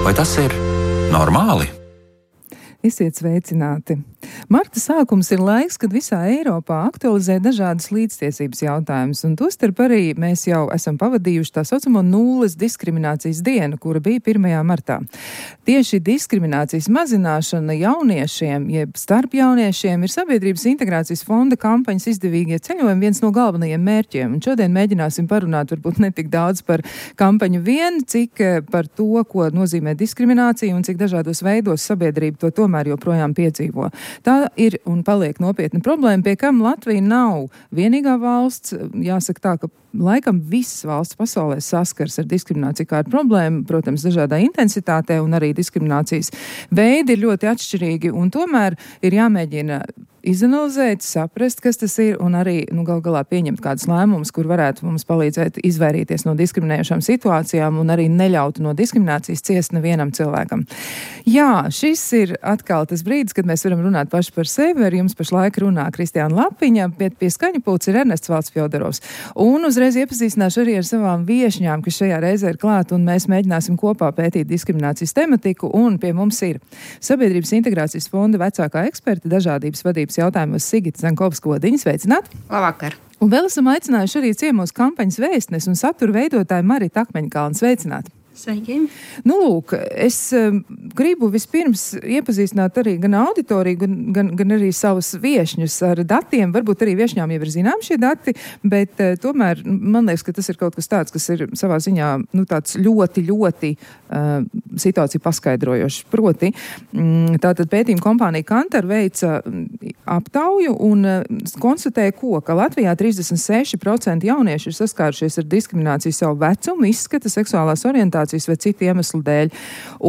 Vai tas ir normāli? Esiet sveicināti! Marta sākums ir laiks, kad visā Eiropā aktualizē dažādas līdztiesības jautājumus, un tostarp arī mēs jau esam pavadījuši tā saucamo nulles diskriminācijas dienu, kura bija 1. martā. Tieši diskriminācijas mazināšana jauniešiem, jeb starp jauniešiem, ir Sabiedrības integrācijas fonda kampaņas izdevīgie ceļojumi viens no galvenajiem mērķiem, un šodien mēģināsim parunāt varbūt ne tik daudz par kampaņu vien, cik par to, ko nozīmē diskriminācija un cik dažādos veidos sabiedrība to tomēr joprojām piedzīvo. Tā ir un paliek nopietna problēma, pie kam Latvija nav vienīgā valsts. Jāsaka tā, ka laikam visas valsts pasaulē saskars ar diskrimināciju kā ar problēmu, protams, dažādā intensitātē, un arī diskriminācijas veidi ir ļoti atšķirīgi, un tomēr ir jāmēģina izanalizēt, saprast, kas tas ir, un arī, gal galā pieņemt kādus lēmumus, kur varētu mums palīdzēt izvairīties no diskriminējošām situācijām un arī neļautu no diskriminācijas ciest nevienam cilvēkam. Jā, šis ir atkal tas brīdis, kad mēs varam runāt paši par sevi. Ar jums pašlaik runā Kristiāna Lapiņa, bet pie skaņu pults ir Ernests Valds Fjodorovs. Un uzreiz iepazīstināšu arī ar savām viešņām, kas šajā reizē ir klāt, un mēs mēģināsim kopā pētīt diskriminācijas tematiku, un pie mums ir Sabiedrības integrācijas fonda vecākā eksperta dažādības vadības jautājumos Sigita Zankovska-Odiņa. Sveicināti! Labvakar! Un vēl esam aicinājuši arī ciemos kampaņas vēstnes un satura veidotāju Maritu Akmeņkalnu. Sveicināti! Sveiki! Lūk, es gribu vispirms iepazīstināt arī gan auditoriju, gan arī savus viešņus ar datiem. Varbūt arī viešņām jau ir zinām šie dati, bet tomēr man liekas, ka tas ir kaut kas tāds, kas ir savā ziņā tāds ļoti situāciju paskaidrojošs. Proti, tātad pētījuma kompānija Kantar veica aptauju un konstatēja, ka Latvijā 36% jaunieši ir saskārušies ar diskrimināciju savu vecumu, izskata, seksuālās orientācijas vai citu iemeslu dēļ.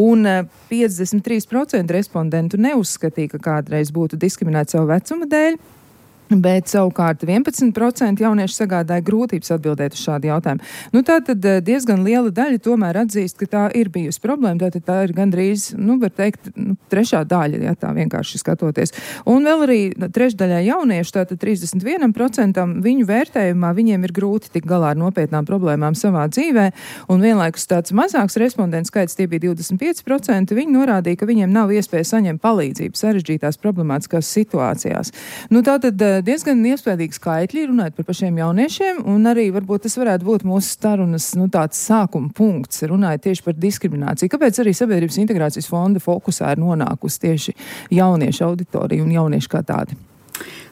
Un 53% respondentu neuzskatīja, ka kādreiz būtu diskriminēti savu vecuma dēļ, bet savukārt 11% jaunieši sagādāja grūtības atbildēt uz šādu jautājumu. Tātad diezgan liela daļa tomēr atzīst, ka tā ir bijusi problēma, tātad tā ir gandrīz, var teikt, trešā daļa, ja tā vienkārši skatoties. Un vēl arī trešdaļā jauniešu, tātad 31% viņu vērtējumā, viņiem ir grūti tikt galā ar nopietnām problēmām savā dzīvē, un vienlaikus tāds mazāks respondentu skaits, tie bija 25%, viņi norādīja, ka viņiem nav iespēja saņemt palīdzību sarežģītās problemātiskās situācijās. Tātad diezgan iespējīgi skaitļi runājot par pašiem jauniešiem, un arī varbūt tas varētu būt mūsu sarunas tāds sākuma punkts, runājot tieši par diskrimināciju. Kāpēc arī Sabiedrības integrācijas fonda fokusā ir nonākusi tieši jauniešu auditorija un jaunieši kā tādi?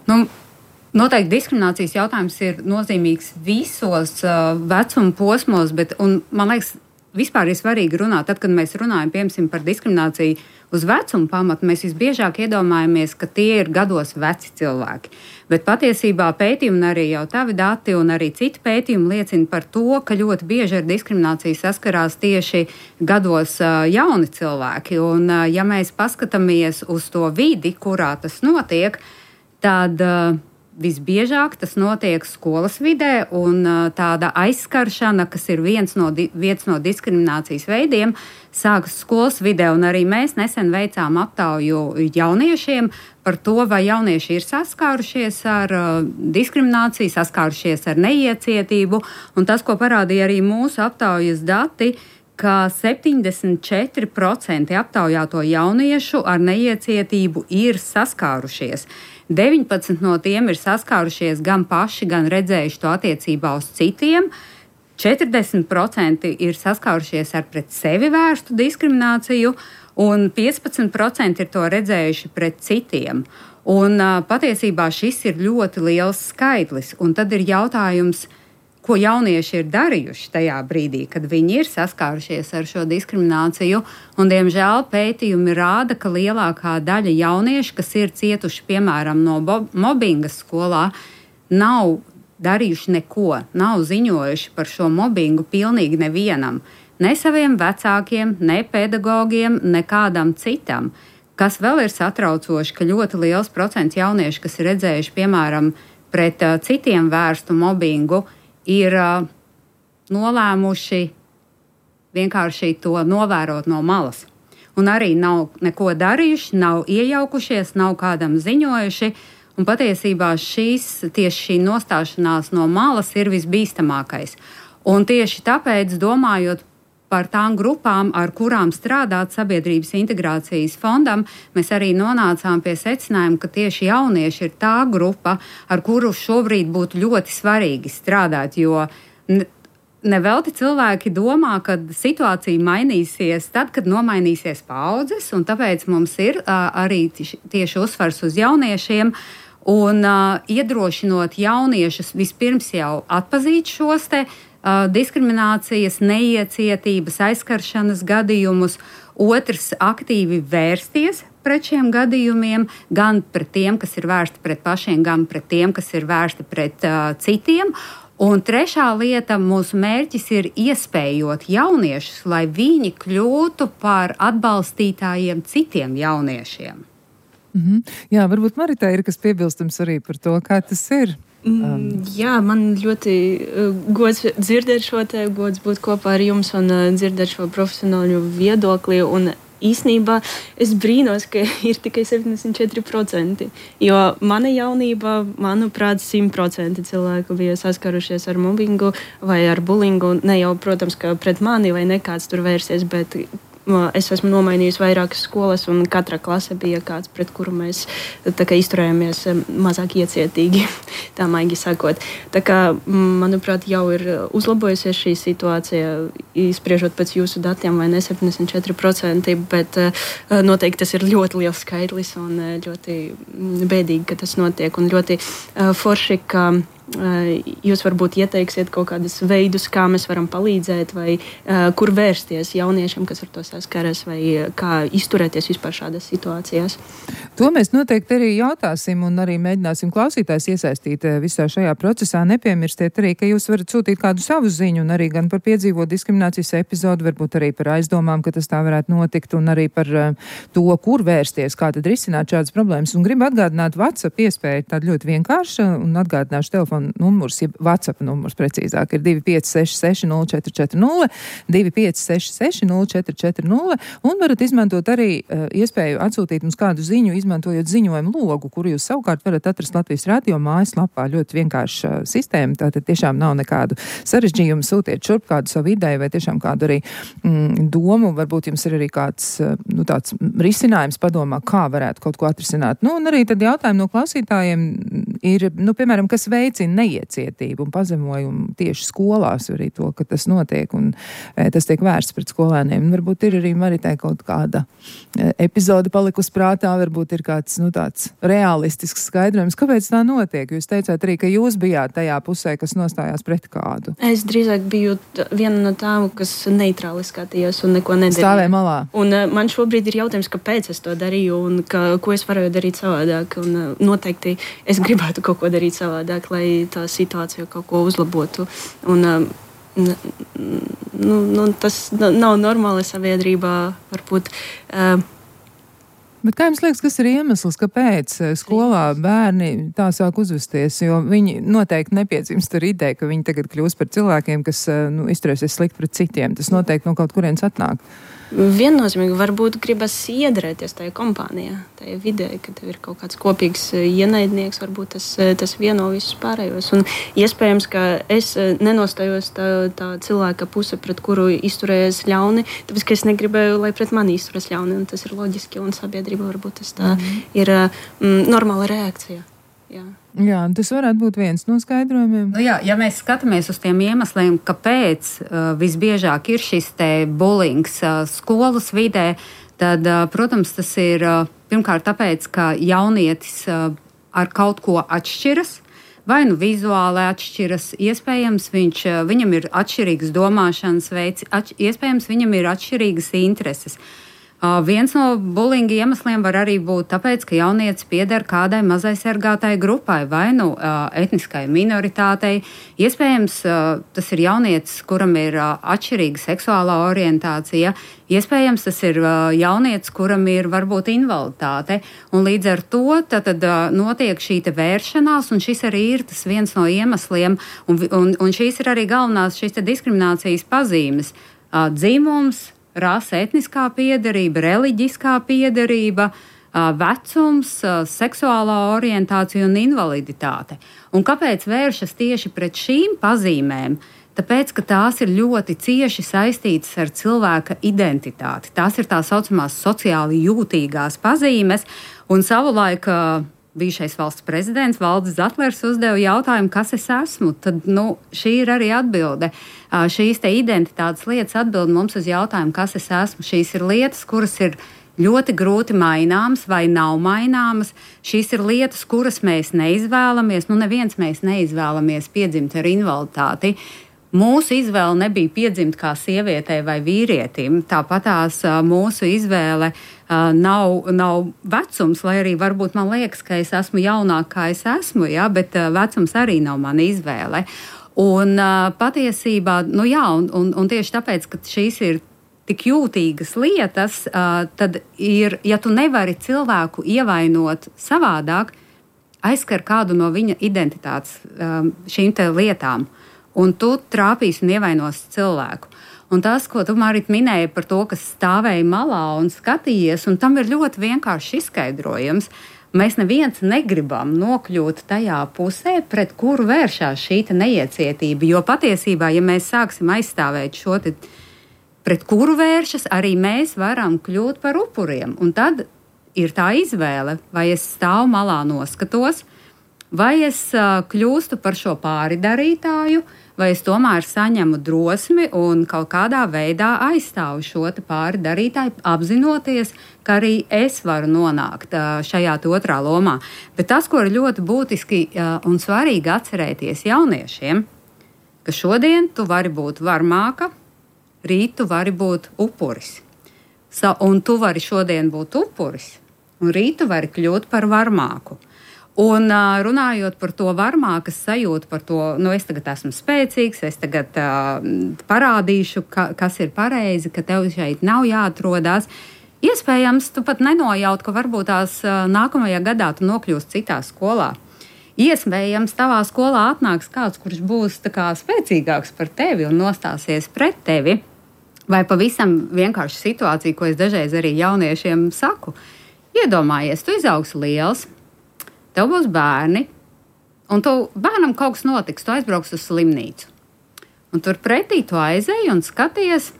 Noteikti diskriminācijas jautājums ir nozīmīgs visos vecuma posmos, un man liekas, vispār ir svarīgi runāt, tad, kad mēs runājam, piemēram, par diskrimināciju uz vecumu pamatu, mēs visbiežāk iedomājamies, ka tie ir gados veci cilvēki. Bet patiesībā pētījumi, un arī jau tavi dati un arī citi pētījumi liecina par to, ka ļoti bieži ar diskrimināciju saskarās tieši gados jauni cilvēki. Un ja mēs paskatāmies uz to vidi, kurā tas notiek, tad visbiežāk tas notiek skolas vidē, un tāda aizskaršana, kas ir viens no diskriminācijas veidiem, sākas skolas vidē. Un arī mēs nesen veicām aptauju jauniešiem par to, vai jaunieši ir saskārušies ar diskrimināciju, saskārušies ar neiecietību. Un tas, ko parādīja arī mūsu aptaujas dati, ka 74% aptaujāto jauniešu ar neiecietību ir saskārušies. 19 no tiem ir saskārušies gan paši, gan redzējuši to attiecībā uz citiem. 40% ir saskārušies ar pret sevi vērstu diskrimināciju, un 15% ir to redzējuši pret citiem. Un patiesībā šis ir ļoti liels skaitlis, un tad ir jautājums, ko jaunieši ir darījuši tajā brīdī, kad viņi ir saskārušies ar šo diskrimināciju. Un, diemžēl, pētījumi rāda, ka lielākā daļa jauniešu, kas ir cietuši, piemēram, no mobbinga skolā, nav darījuši neko, nav ziņojuši par šo mobbingu pilnīgi nevienam. Ne saviem vecākiem, ne pedagogiem, ne kādam citam. Kas vēl ir satraucoši, ka ļoti liels procents jauniešu, kas ir redzējuši, piemēram, pret citiem vērstu mobbingu, ir nolēmuši vienkārši to novērot no malas. Un arī nav neko darījuši, nav iejaukušies, nav kādam ziņojuši. Un patiesībā tieši šī nostāšanās no malas ir visbīstamākais. Un tieši tāpēc, domājot par tām grupām, ar kurām strādāt sabiedrības integrācijas fondam, mēs arī nonācām pie secinājuma, ka tieši jaunieši ir tā grupa, ar kuru šobrīd būtu ļoti svarīgi strādāt, jo nevelti cilvēki domā, ka situācija mainīsies tad, kad nomainīsies paudzes, un tāpēc mums ir arī tieši uzsvars uz jauniešiem, un iedrošinot jauniešus vispirms jau atpazīt šos te diskriminācijas, neiecietības, aizskaršanas gadījumus, otrs aktīvi vērsties pret šiem gadījumiem, gan pret tiem, kas ir vērsti pret pašiem, gan pret tiem, kas ir vērsti pret citiem. Un trešā lieta, mūsu mērķis ir iespējot jauniešus, lai viņi kļūtu par atbalstītājiem citiem jauniešiem. Jā, varbūt Maritai ir kas piebilstams arī par to, kā tas ir. Jā, man ļoti gods dzirdēt šo te, gods būt kopā ar jums un dzirdēt šo profesionāļu viedokli. Un īsnībā es brīnos, ka ir tikai 74%, jo mana jaunībā, manuprāt, 100% cilvēku bija saskarušies ar mobbingu vai ar bullyingu. Ne jau, protams, ka pret mani vai nekāds tur vērsies, bet es esmu nomainījis vairākas skolas, un katra klase bija kāds, pret kuru mēs izturējāmies mazāk iecietīgi, tā maigi sakot. Tā kā, manuprāt, jau ir uzlabojusies šī situācija, spriežot pēc jūsu datiem, vai ne 74%, bet noteikti tas ir ļoti liels skaitlis un ļoti bēdīgi, ka tas notiek, un ļoti forši, ka jūs varbūt ieteiksiet kaut kādus veidus, kā mēs varam palīdzēt, vai kur vērsties jauniešiem, kas ar to saskaras, vai kā izturēties vispār šādās situācijās. To mēs noteikti arī jautāsim un arī mēģināsim klausītājs iesaistīt visā šajā procesā. Nepiemirstiet arī, ka jūs varat sūtīt kādu savu ziņu un arī gan par piedzīvot diskriminācijas epizodu, varbūt arī par aizdomām, ka tas tā varētu notikt, un arī par to, kur vērsties, kā tad risināt šādas problēmas. Un gribu atgādināt WhatsApp iespēju, tāda ļoti vienkārša, un atgādināšu telefonu numurs, ja WhatsApp numurs precīzāk ir 2566 0440, 2566 0440, un varat izmantot arī iespēju atsūtīt mums kādu ziņu, izmantojot ziņojumu logu, kuru jūs savukārt varat atrast Latvijas radio mājaslapā. Ļoti vienkārša sistēma, tātad tiešām nav nekādu sarežģījumu, sūtiet šurp kādu savu ideju vai tiešām kādu arī domu, varbūt jums ir arī kāds tāds risinājums padomā, kā varētu kaut ko atrisināt. Un arī tad jautājumi no klausītājiem ir, piemēram, kas veicina neiecietību un pazemojumu tieši skolās, arī to, ka tas notiek un tas tiek vērsts pret skolēniem. Varbūt ir arī Maritai kaut kāda epizode palikusi prātā, varbūt ir kāds, tāds realistisks skaidrojums, kāpēc tā notiek. Jūs teicāt arī, ka jūs bijāt tajā pusē, kas nostājās pret kādu. Es drīzāk biju viena no tām, kas neitrāli skatījās un neko nedarīja. Stāvēja malā. Un man šobrīd ir jautājums, kāpēc es to darīju un ko es varēju darīt savādāk. Un noteikti es gribētu kaut ko darīt savādāk, lai tā situācija kaut ko uzlabotu. Un tas nav normāli sabiedrībā, varbūt. Bet kā jums liekas, kas ir iemesls, kāpēc skolā bērni tā sāk uzvesties? Jo viņi noteikti nepiedzimst ar ideju, ka viņi tagad kļūst par cilvēkiem, kas izturēsies slikti pret citiem. Tas noteikti no kaut kurienes atnāk. Viennozīmīgi varbūt gribas iedarēties tajā kompānijā, tajā vidē, ka tev ir kaut kāds kopīgs ienaidnieks, varbūt tas vieno visus pārējos. Un iespējams, ka es nenostājos tā cilvēka puse, pret kuru izturējies ļauni, tāpēc, ka es negribēju, lai pret mani izturēs ļauni, un tas ir loģiski, un sabiedrība varbūt tas tā ir normāla reakcija. Jā, tas varētu būt viens no skaidrojumiem. Ja mēs skatāmies uz tiem iemesliem, kāpēc visbiežāk ir šis te bulings skolas vidē, tad, protams, tas ir pirmkārt tāpēc, ka jaunietis ar kaut ko atšķiras, vai vizuāli atšķiras, iespējams, viņam ir atšķirīgs domāšanas veids, iespējams, viņam ir atšķirīgas intereses. Viens no bulinga iemesliem var arī būt tāpēc, ka jaunietis pieder kādai mazaisargātai grupai vai etniskai minoritātei. Iespējams, tas ir jaunietis, kuram ir atšķirīga seksuālā orientācija. Iespējams, tas ir jaunietis, kuram ir varbūt invaliditāte. Un līdz ar to tad notiek šī te vēršanās, un šis arī ir tas viens no iemesliem. Un šīs ir arī galvenās šīs te diskriminācijas pazīmes. Dzimums, rase, etniskā piederība, reliģiskā piederība, vecums, seksuālā orientācija un invaliditāte. Un kāpēc vēršas tieši pret šīm pazīmēm? Tāpēc, ka tās ir ļoti cieši saistītas ar cilvēka identitāti. Tās ir tā saucamās sociāli jūtīgās pazīmes, un savulaik bijušais valsts prezidents Valdis Zatlers uzdeva jautājumu, kas es esmu. Tad, šī ir arī atbilde. Šīs te identitātes lietas atbild mums uz jautājumu, kas es esmu. Šīs ir lietas, kuras ir ļoti grūti maināmas vai nav maināmas. Šīs ir lietas, kuras mēs neizvēlamies. Neviens mēs neizvēlamies piedzimt ar invaliditāti. Mūsu izvēle nebija piedzimt kā sievietei vai vīrietim. Tāpatās mūsu izvēle nav vecums, lai arī varbūt man liekas, ka es esmu jaunāk, kā es esmu, ja, bet vecums arī nav mana izvēle. Un patiesībā, un tieši tāpēc, ka šīs ir tik jūtīgas lietas, tad ir, ja tu nevari cilvēku ievainot savādāk, aizskar kādu no viņa identitātes šīm te lietām. Un tu trāpīsi un ievainos cilvēku. Un tas, ko tu, Marita, minēji par to, kas stāvēja malā un skatījies, un tam ir ļoti vienkārši izskaidrojums. Mēs neviens negribam nokļūt tajā pusē, pret kuru vēršās šī neiecietība. Jo patiesībā, ja mēs sāksim aizstāvēt šo te, pret kuru vēršas, arī mēs varam kļūt par upuriem. Un tad ir tā izvēle, vai es stāvu malā noskatos, vai es kļūstu par šo pāridarītāju, vai es tomēr saņemu drosmi un kaut kādā veidā aizstāvu šo te pāridarītāju, apzinoties, ka arī es varu nonākt šajā otrā lomā. Bet tas, ko ir ļoti būtiski un svarīgi atcerēties jauniešiem, ka šodien tu vari būt varmāka, rīt tu vari būt upuris. Un tu vari šodien būt upuris, un rīt tu vari kļūt par varmāku. Un runājot par to varmākas sajūtu, par to, es tagad esmu spēcīgs, es tagad parādīšu, kas ir pareizi, ka tev šeit nav jāatrodās. Iespējams, tu pat nenojaut, ka varbūt tās nākamajā gadā tu nokļūsi citā skolā. Iespējams, tavā skolā atnāks kāds, kurš būs tā kā spēcīgāks par tevi un nostāsies pret tevi. Vai pavisam vienkārši situācija, ko es dažreiz arī jauniešiem saku. Iedomājies, tu izaugsi liels, tev būs bērni, un bērnam kaut kas notiks, tu aizbrauks uz slimnīcu. Un tur pretī tu aizēji un skaties,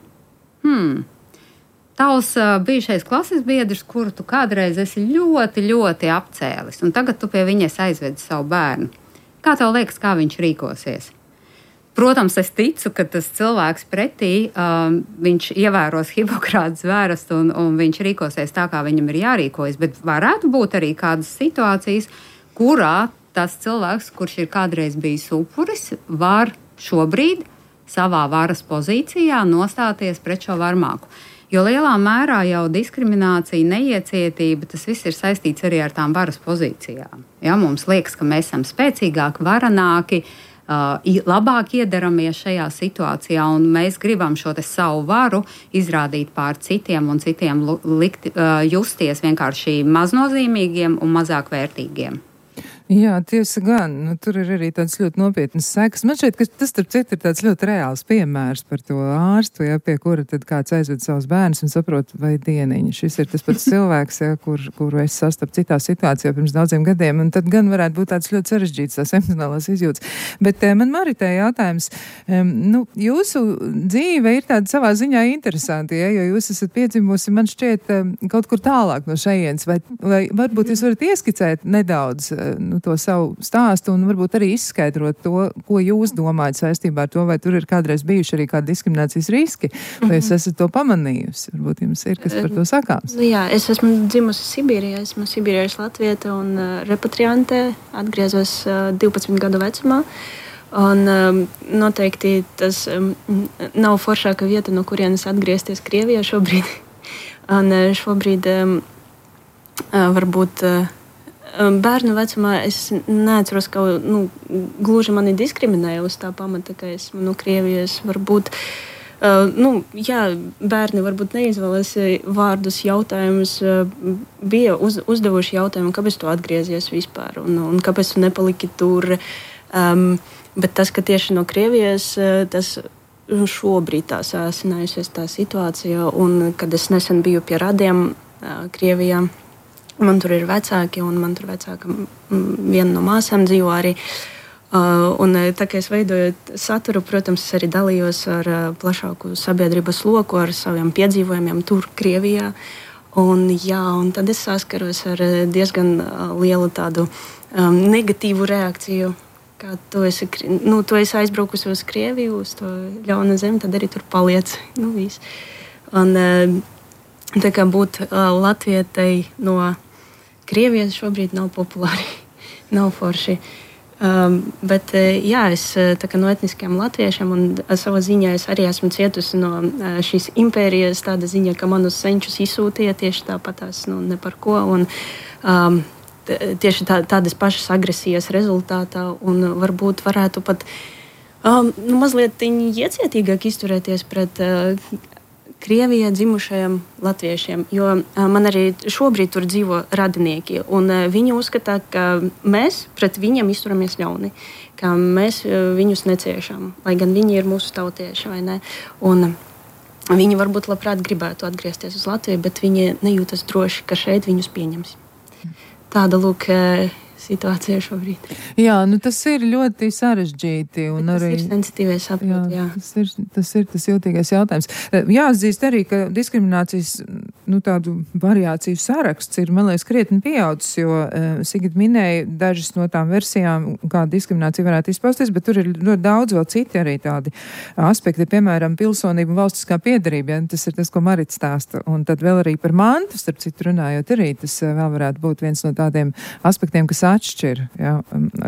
tavs bijušais klases biedrs, kuru tu kādreiz esi ļoti, ļoti apcēlis, un tagad tu pie viņas aizvedi savu bērnu. Kā tev liekas, kā viņš rīkosies? Protams, es ticu, ka tas cilvēks pretī, viņš ievēros Hipokrata zvērestu un viņš rīkosies tā, kā viņam ir jārīkojas, bet varētu būt arī kādas situācijas, kurā tas cilvēks, kurš ir kādreiz bijis upuris, var šobrīd savā varas pozīcijā nostāties pret šo varmāku. Jo lielā mērā jau diskriminācija, neiecietība, tas viss ir saistīts arī ar tām varas pozīcijām. Ja, mums liekas, ka mēs esam spēcīgāki, varanāki, labāk iedaramies šajā situācijā, un mēs gribam šo te savu varu izrādīt pār citiem un citiem justies vienkārši maznozīmīgiem un mazāk vērtīgiem. Jā, tiesa gan. Tur ir arī tāds ļoti nopietnas sekas. Man šķiet, ka tas, starp citu, ir tāds ļoti reāls piemērs par to ārstu, ja, pie kura tad kāds aizved savus bērnus un saprot, vai dieniņi. Šis ir tas pats cilvēks, ja, kuru es sastapu citā situācijā pirms daudziem gadiem, un tad gan varētu būt tāds ļoti sarežģīts tās emocionālās izjūtas. Bet man Maritai jautājums, jūsu dzīve ir tāda savā ziņā interesanti, ja, jo jūs esat piedzimusi, man šķiet, kaut kur tālāk no šejienes, vai varbūt jūs varat ieskicēt nedaudz to savu stāstu un varbūt arī izskaidrot to, ko jūs domājat saistībā ar to, vai tur ir kādreiz bijuši arī kādi diskriminācijas riski, vai jūs esat to pamanījusi? Varbūt jums ir kas par to sakāms. Jā, es esmu dzimusi Sibīrijā, esmu sibīriešu latvieta un repatriante, atgriezos 12 gadu vecumā. Un noteikti tas nav foršāka vieta, no kurienes atgriezties Krievijā šobrīd. Un šobrīd varbūt bērnu vecumā es neatceros, ka gluži mani diskriminēja uz tā pamata, ka esmu Krievijas. Varbūt, bērni varbūt neizvēlas vārdus, jautājumus, bija uzdevuši jautājumu, kāpēc tu atgriezies vispār un kāpēc tu nepaliki tur. Bet tas, ka tieši no Krievijas, tas šobrīd tā sāsinājusies tā situācija, un kad es nesen biju pie radiem Krievijā, man tur ir vecāki, un man tur vecāka viena no māsām dzīvo arī. Un tā kā es veidoju saturu, protams, es arī dalījos ar plašāku sabiedrības loku, ar saviem piedzīvojumiem tur, Krievijā. Un tad es saskaros ar diezgan lielu tādu negatīvu reakciju. Kā tu esi aizbraukusi uz Krieviju, uz to ļaunu zemi, tad arī tur paliec. Viss. Un tā kā būt latvietai no Krievijas šobrīd nav populāri, nav forši. Bet es no etniskiem latviešiem un savā ziņā es arī esmu cietusi no šīs impērijas tāda ziņa, ka manus senčus izsūtīja tieši tāpatās, ne par ko. Un, tieši tādas pašas agresijas rezultātā un varbūt varētu pat mazliet iecietīgāk izturēties pret Krievijā dzimušajiem latviešiem, jo man arī šobrīd tur dzīvo radinieki, un viņi uzskata, ka mēs pret viņiem izturamies ļauni, ka mēs viņus neciešam, lai gan viņi ir mūsu tautieši, vai ne? Un viņi varbūt labprāt gribētu atgriezties uz Latviju, bet viņi nejūtas droši, ka šeit viņus pieņems. Tāda lūk situācija šobrīd. Jā, tas ir ļoti sarežģīti. Un tas arī, ir sensitīvais saprot, jā. Tas ir tas jūtīgais jautājums. Jāatzīst arī, ka diskriminācijas tādu variāciju saraksts ir, man liekas, krietni pieaudzis, jo Sigita minēja dažas no tām versijām, kā diskriminācija varētu izpausties, bet tur ir ļoti daudz vēl citi arī tādi aspekti, piemēram, pilsonība un valstiskā piederība. Ja? Tas ir tas, ko Marita stāsta. Un tad vēl arī par mantu, starp citu runājot arī, tas vēl varētu būt viens no tādiem aspektiem, kas atšķir. Ja?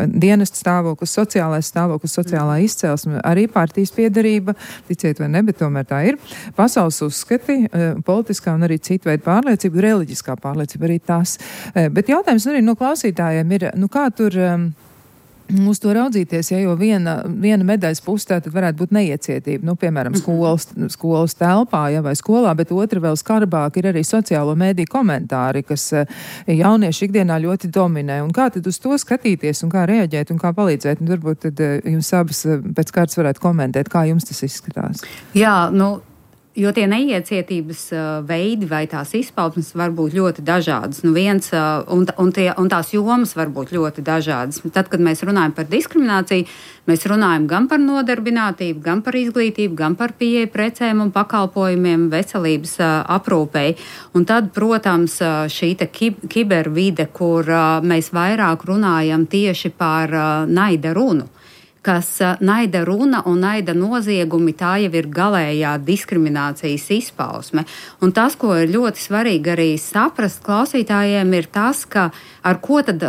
Dienesta stāvoklis, sociālais stāvoklis, sociālā izcelsme, arī partijas piederība, ticiet vai ne, bet tomēr tā ir. Pasaules uzskati, politiskā un arī citu veidu pārliecība, reliģiskā pārliecība arī tas. Bet jautājums arī no klausītājiem ir, kā tur uz to raudzīties, ja, jo viena medaļas pusē tad varētu būt neiecietība, piemēram, skolas telpā, ja, vai skolā, bet otra vēl skarbāk ir arī sociālo mēdīju komentāri, kas jaunieši ikdienā ļoti dominē. Un kā tad uz to skatīties un kā reaģēt un kā palīdzēt? Un varbūt tad jums abas pēc kārtas varētu komentēt, kā jums tas izskatās. Jā, jo tie neiecietības veidi vai tās izpausmes var būt ļoti dažādas. Un tās jomas var būt ļoti dažādas. Tad, kad mēs runājam par diskrimināciju, mēs runājam gan par nodarbinātību, gan par izglītību, gan par pieeju precēm un pakalpojumiem, veselības aprūpei. Un tad, protams, šī kibervide, kur mēs vairāk runājam tieši par naida runu. Kas naida runa un naida noziegumi, tā jau ir galējā diskriminācijas izpausme. Un tas, ko ir ļoti svarīgi arī saprast klausītājiem, ir tas, ka ar ko tad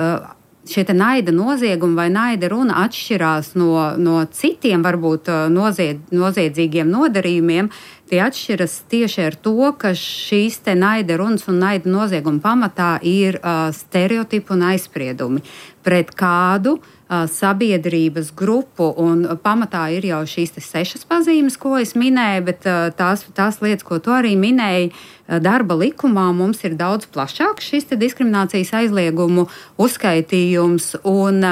šie naida noziegumi vai naida runa atšķirās no citiem varbūt noziedzīgiem nodarījumiem. Tie atšķiras tieši ar to, ka šīs te naida runas un naida nozieguma pamatā ir stereotipi un aizspriedumi pret kādu sabiedrības grupu, un pamatā ir jau šīs 6 pazīmes, ko es minēju, bet tās lietas, ko tu arī minēji, darba likumā mums ir daudz plašāks šis diskriminācijas aizliegumu uzskaitījums, un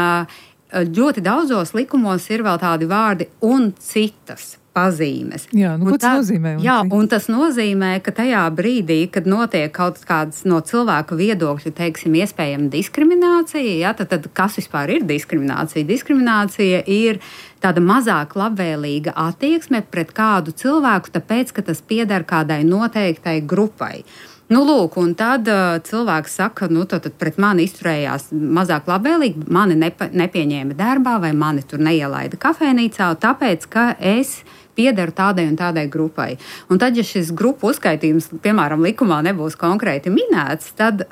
ļoti daudzos likumos ir vēl tādi vārdi un citas pazīmes. Jā, ko tas nozīmē? Un tas nozīmē, ka tajā brīdī, kad notiek kaut kādas no cilvēka viedokļa, teiksim, iespējama diskriminācija, tad kas vispār ir diskriminācija? Diskriminācija ir tāda mazāk labvēlīga attieksme pret kādu cilvēku, tāpēc, ka tas pieder kādai noteiktai grupai. Lūk, un tad cilvēks saka, tad pret mani izturējās mazāk labvēlīgi, mani nepieņēma darbā vai mani tur neielaida kafejnīcā, tāpēc, ka es piederu tādai un tādai grupai. Un tad, ja šis grupu uzskaitījums, piemēram, likumā nebūs konkrēti minēts, tad,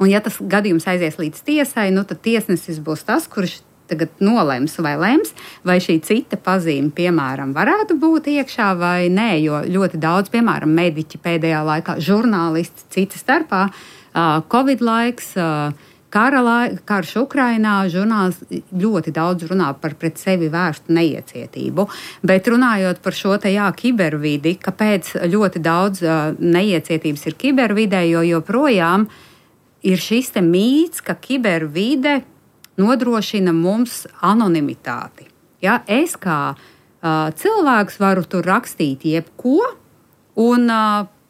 un ja tas gadījums aizies līdz tiesai, tad tiesnesis būs tas, kurš tagad nolems vai lems, vai šī cita pazīme, piemēram, varētu būt iekšā vai nē, jo ļoti daudz, piemēram, mediķi pēdējā laikā, žurnālisti cita starpā, Covid laiks, karš Ukrainā, žurnālisti ļoti daudz runā par pret sevi vērstu neiecietību, bet runājot par šo kibervidi, kāpēc ļoti daudz neiecietības ir kibervidē, jo joprojām ir šis mīts, ka kibervide nodrošina mums anonimitāti. Ja? Es kā cilvēks varu tur rakstīt jebko un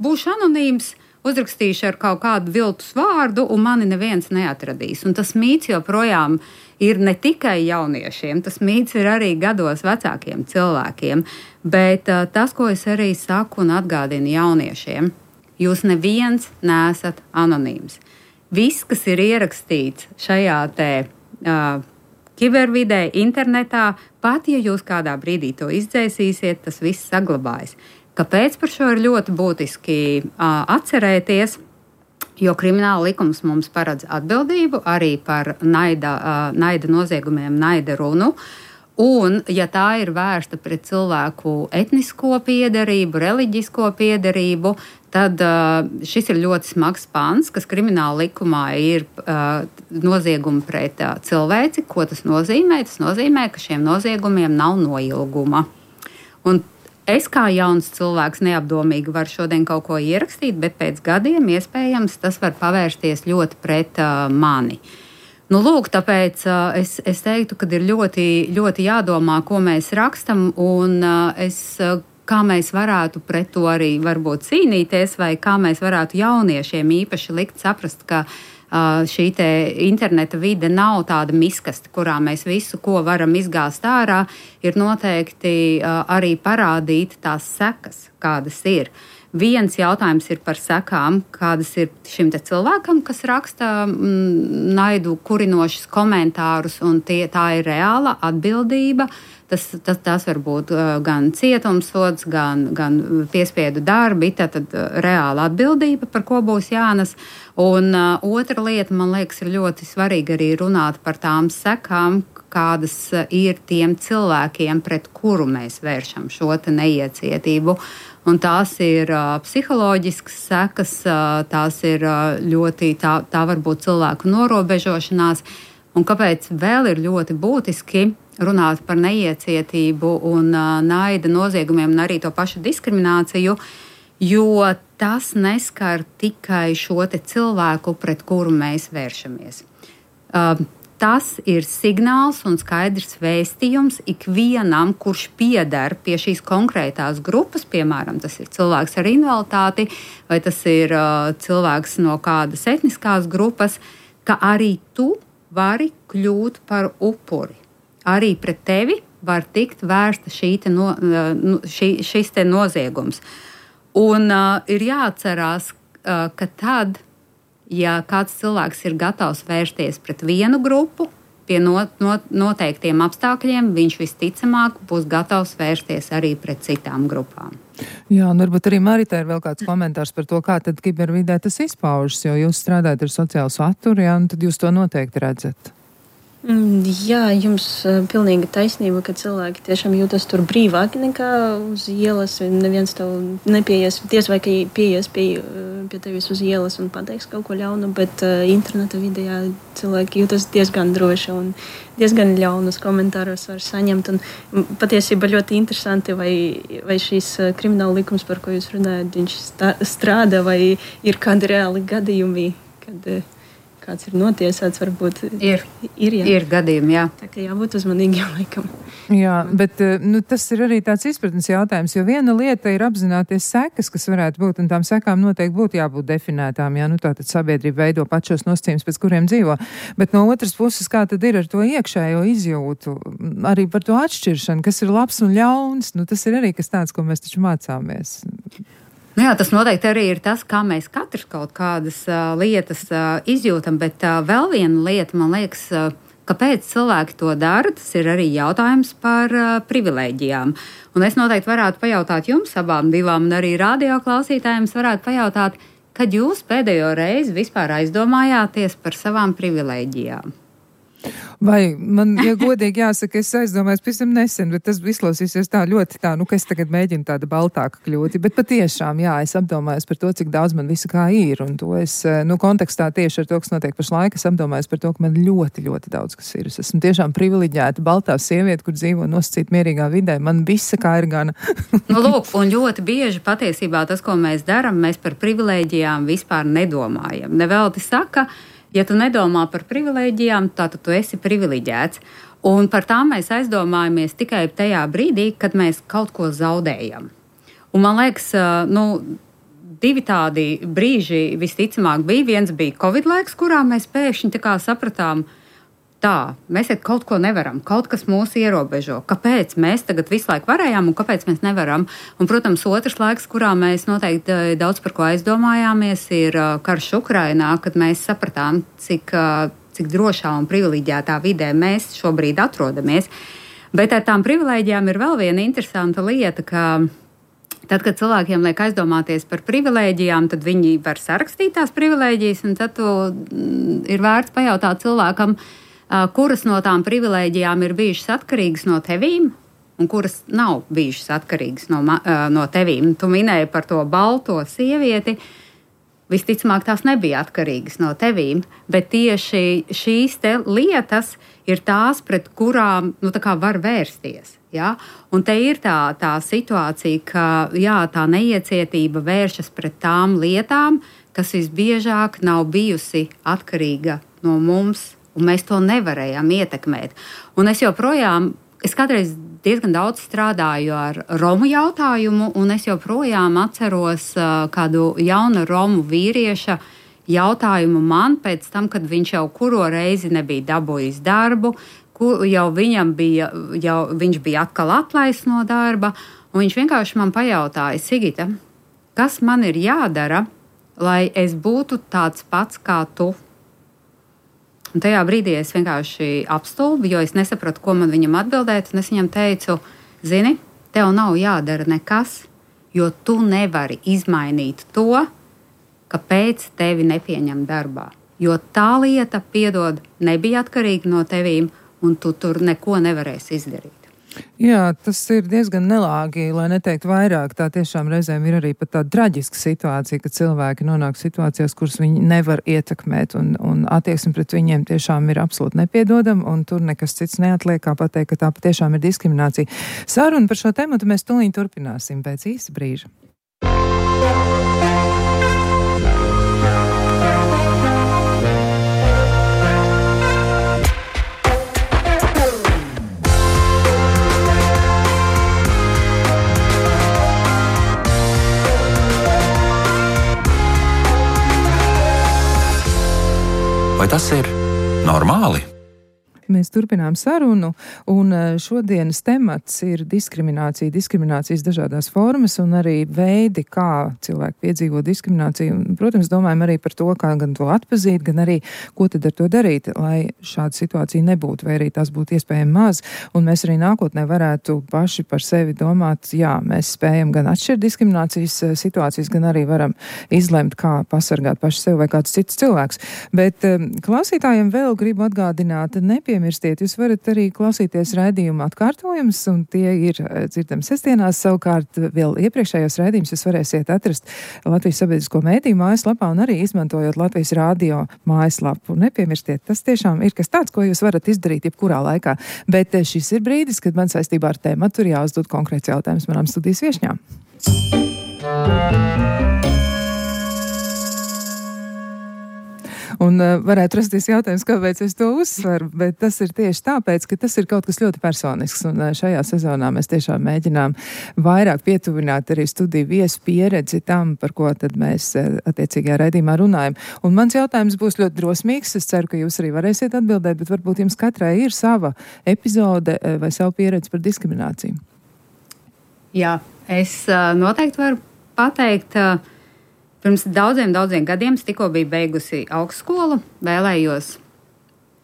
būšu anonīms, uzrakstīšu ar kaut kādu viltus vārdu, un mani neviens neatradīs. Un tas mīts joprojām ir ne tikai jauniešiem, tas mīts ir arī gados vecākiem cilvēkiem. Bet tas, ko es arī saku un atgādinu jauniešiem, jūs neviens neesat anonīms. Viss, kas ir ierakstīts šajā kibervidē, internetā, pat ja jūs kādā brīdī to izdzēsīsiet, tas viss saglabājas. Kāpēc par šo ir ļoti būtiski atcerēties? Jo krimināla likums mums paredz atbildību arī par naida noziegumiem, naida runu. Un, ja tā ir vērsta pret cilvēku etnisko piederību, reliģisko piederību, tad šis ir ļoti smags pants, kas krimināla likumā ir noziegumi pret cilvēci. Ko tas nozīmē? Tas nozīmē, ka šiem noziegumiem nav noilguma. Un es kā jauns cilvēks neapdomīgi varu šodien kaut ko ierakstīt, bet pēc gadiem iespējams tas var pavērsties ļoti pret mani. Nu, lūk, tāpēc es teiktu, ka ir ļoti, ļoti jādomā, ko mēs rakstam, un kā mēs varētu pret to arī varbūt cīnīties, vai kā mēs varētu jauniešiem īpaši likt saprast, ka šī te interneta vide nav tāda miskasta, kurā mēs visu, ko varam izgāzt ārā, ir noteikti arī parādīt tās sekas, kādas ir. Viens jautājums ir par sekām, kādas ir šim te cilvēkam, kas raksta naidu kurinošus komentārus, un tā ir reāla atbildība. Tas var būt gan cietumsods, gan piespiedu darbi, tad reāla atbildība, par ko būs jānes. Un otra lieta, man liekas, ir ļoti svarīgi arī runāt par tām sekām, kādas ir tiem cilvēkiem, pret kuru mēs vēršam šo te neiecietību. Un tās ir psiholoģiskas sekas, tās ir ļoti, tā var būt cilvēku norobežošanās. Un kāpēc vēl ir ļoti būtiski runāt par neiecietību un naida noziegumiem un arī to pašu diskrimināciju, jo tas neskar tikai šo te cilvēku, pret kuru mēs vēršamies. Tas ir signāls un skaidrs vēstījums ikvienam, kurš pieder pie šīs konkrētās grupas, piemēram, tas ir cilvēks ar invaliditāti, vai tas ir cilvēks no kādas etniskās grupas, ka arī tu vari kļūt par upuri. Arī pret tevi var tikt vērsta šis te noziegums. Un ir jāatcerās, ka tad, ja kāds cilvēks ir gatavs vērsties pret vienu grupu, pie noteiktiem apstākļiem, viņš visticamāk būs gatavs vērsties arī pret citām grupām. Jā, un varbūt arī Marita ir vēl kāds komentārs par to, kā tad kibervidē tas izpaužas, jo jūs strādājat ar sociālu saturu, jā, un tad jūs to noteikti redzat. Jā, jums pilnīga taisnība, ka cilvēki tiešām jūtas tur brīvāki nekā uz ielas. Neviens tev nepieies, vai ka pieies pie tevis uz ielas un pateiks kaut ko ļaunu, bet interneta vidē cilvēki jūtas diezgan droši un diezgan ļaunus komentārus var saņemt. Un patiesībā ļoti interesanti, vai šīs krimināla likums, par ko jūs runājat, viņš strādā, vai ir kādi reāli gadījumi, kad kāds ir notiesāts, varbūt ir gadījumi, jā. Tā kā jābūt uzmanīgiem laikam. Jā, bet tas ir arī tāds izpratnes jautājums, jo viena lieta ir apzināties sekas, kas varētu būt, un tām sekām noteikti būtu jābūt definētām, jā, tātad sabiedrība veido pašos nosacījumus, pēc kuriem dzīvo. Bet no otras puses, kā tad ir ar to iekšējo izjūtu, arī par to atšķiršanu, kas ir labs un ļauns, tas ir arī kas tāds, ko mēs taču mācāmies. Jā, tas noteikti arī ir tas, kā mēs katrs kaut kādas lietas izjūtam, bet vēl viena lieta, man liekas, kāpēc cilvēki to dara, tas ir arī jautājums par privilēģijām. Un es noteikti varētu pajautāt jums abām divām, un arī radio klausītājiem varētu pajautāt, kad jūs pēdējo reizi vispār aizdomājāties par savām privilēģijām? Vai man, ja godīgi jāsaka, es aizdomājos pavisam nesen, bet tas izklausīsies tā ļoti ka es tagad mēģinu tāda baltāka kļūt. Bet patiešām, jā, es apdomājos par to, cik daudz man visu kā ir. Un to es, kontekstā tieši ar to, kas notiek pašlaik, es apdomājos par to, ka man ļoti, ļoti daudz kas ir. Es esmu tiešām privileģēta baltā sieviete, kur dzīvo nosacīt mierīgā vidē. Man visa kā ir gana. Lūk, un ļoti bieži patiesībā tas, ko mēs daram, mēs par privilēģijām vispār nedomājam. Nevelti saka, ja tu nedomā par privilēģijām, tad tu esi privileģēts. Un par tām mēs aizdomājamies tikai tajā brīdī, kad mēs kaut ko zaudējam. Un man liekas, divi tādi brīži visticamāk bija. Viens bija Covid laiks, kurā mēs pēkšņi tā kā sapratām, mēs kaut ko nevaram, kaut kas mūs ierobežo. Kāpēc mēs tagad visu laiku varējām un kāpēc mēs nevaram? Un, protams, otrs laiks, kurā mēs noteikti daudz par ko aizdomājāmies, ir karš Ukrainā, kad mēs sapratām, cik drošā un privileģētā vidē mēs šobrīd atrodamies. Bet ar tām privileģijām ir vēl viena interesanta lieta, ka tad, kad cilvēkiem liek aizdomāties par privilēģijām, tad viņi var sarakstīt tās privilēģijas, un tad ir vērts pajautāt cilvēkam, kuras no tām privilēģijām ir bijušas atkarīgas no tevīm, un kuras nav bijušas atkarīgas no tevīm. Tu minēji par to balto sievieti. Visticamāk, tās nebija atkarīgas no tevīm, bet tieši šīs te lietas ir tās, pret kurām var vērsties. Ja? Un te ir tā situācija, ka tā neiecietība vēršas pret tām lietām, kas visbiežāk nav bijusi atkarīga no mums, un mēs to nevarējām ietekmēt. Un es kādreiz diezgan daudz strādāju ar Romu jautājumu, un es joprojām atceros kādu jaunu Romu vīrieša jautājumu man pēc tam, kad viņš jau kuro reizi nebija dabūjis darbu, viņš bija atkal atlaists no darba, un viņš vienkārši man pajautāja, Sigita, kas man ir jādara, lai es būtu tāds pats kā tu? Un tajā brīdī es vienkārši apstulbu, jo es nesapratu, ko man viņam atbildēt. Un es viņam teicu, zini, tev nav jādara nekas, jo tu nevari izmainīt to, kāpēc tevi nepieņem darbā. Jo tā lieta, piedod, nebija atkarīga no tevīm, un tu tur neko nevarēsi izdarīt. Jā, tas ir diezgan nelāgi, lai neteikt vairāk. Tā tiešām reizēm ir arī pat tāda traģiska situācija, ka cilvēki nonāk situācijās, kuras viņi nevar ietekmēt, un attieksme pret viņiem tiešām ir absolūti nepiedodama, un tur nekas cits neatliek, kā pateikt, ka tā patiešām ir diskriminācija. Sarunu par šo tematu mēs tūlīt turpināsim pēc īsa brīža. Vai tas ir normāli? Mēs turpinām sarunu, un šodienas temats ir diskriminācijas dažādās formas un arī veidi, kā cilvēki piedzīvo diskrimināciju. Un, protams, domājam arī par to, kā gan to atpazīt, gan arī, ko tad ar to darīt, lai šāda situācija nebūtu, vai arī tās būtu iespējami maz. Un mēs arī nākotnē varētu paši par sevi domāt, jā, mēs spējam gan atšķirt diskriminācijas situācijas, gan arī varam izlemt, kā pasargāt paši sevi vai kāds cits cilvēks. Bet klausītājiem vēl gribu atgādināt, nemirstiet, jūs varat arī klausīties raidījuma atkārtojumus, un tie ir dzirdami sestdienās. Savukārt vēl iepriekšējos raidījumus jūs varēsiet atrast Latvijas sabiedrisko mēdīju mājaslapā un arī izmantojot Latvijas radio mājaslapu. Nepiemirstiet, tas tiešām ir kas tāds, ko jūs varat izdarīt jebkurā laikā. Bet šis ir brīdis, kad man saistībā ar tēmatu ir jāuzdod konkrēts jautājums manām studijas viešņām. Un varētu rasties jautājums, kāpēc es to uzsveru, bet tas ir tieši tāpēc, ka tas ir kaut kas ļoti personisks, un šajā sezonā mēs tiešām mēģinām vairāk pietuvināt arī studiju viesu pieredzi tam, par ko tad mēs attiecīgajā raidījumā runājam. Un mans jautājums būs ļoti drosmīgs, es ceru, ka jūs arī varēsiet atbildēt, bet varbūt jums katrai ir sava epizode vai savu pieredzi par diskrimināciju. Jā, es noteikti varu pateikt, pirms daudziem gadiem es tikko biju beigusi augstskolu, vēlējos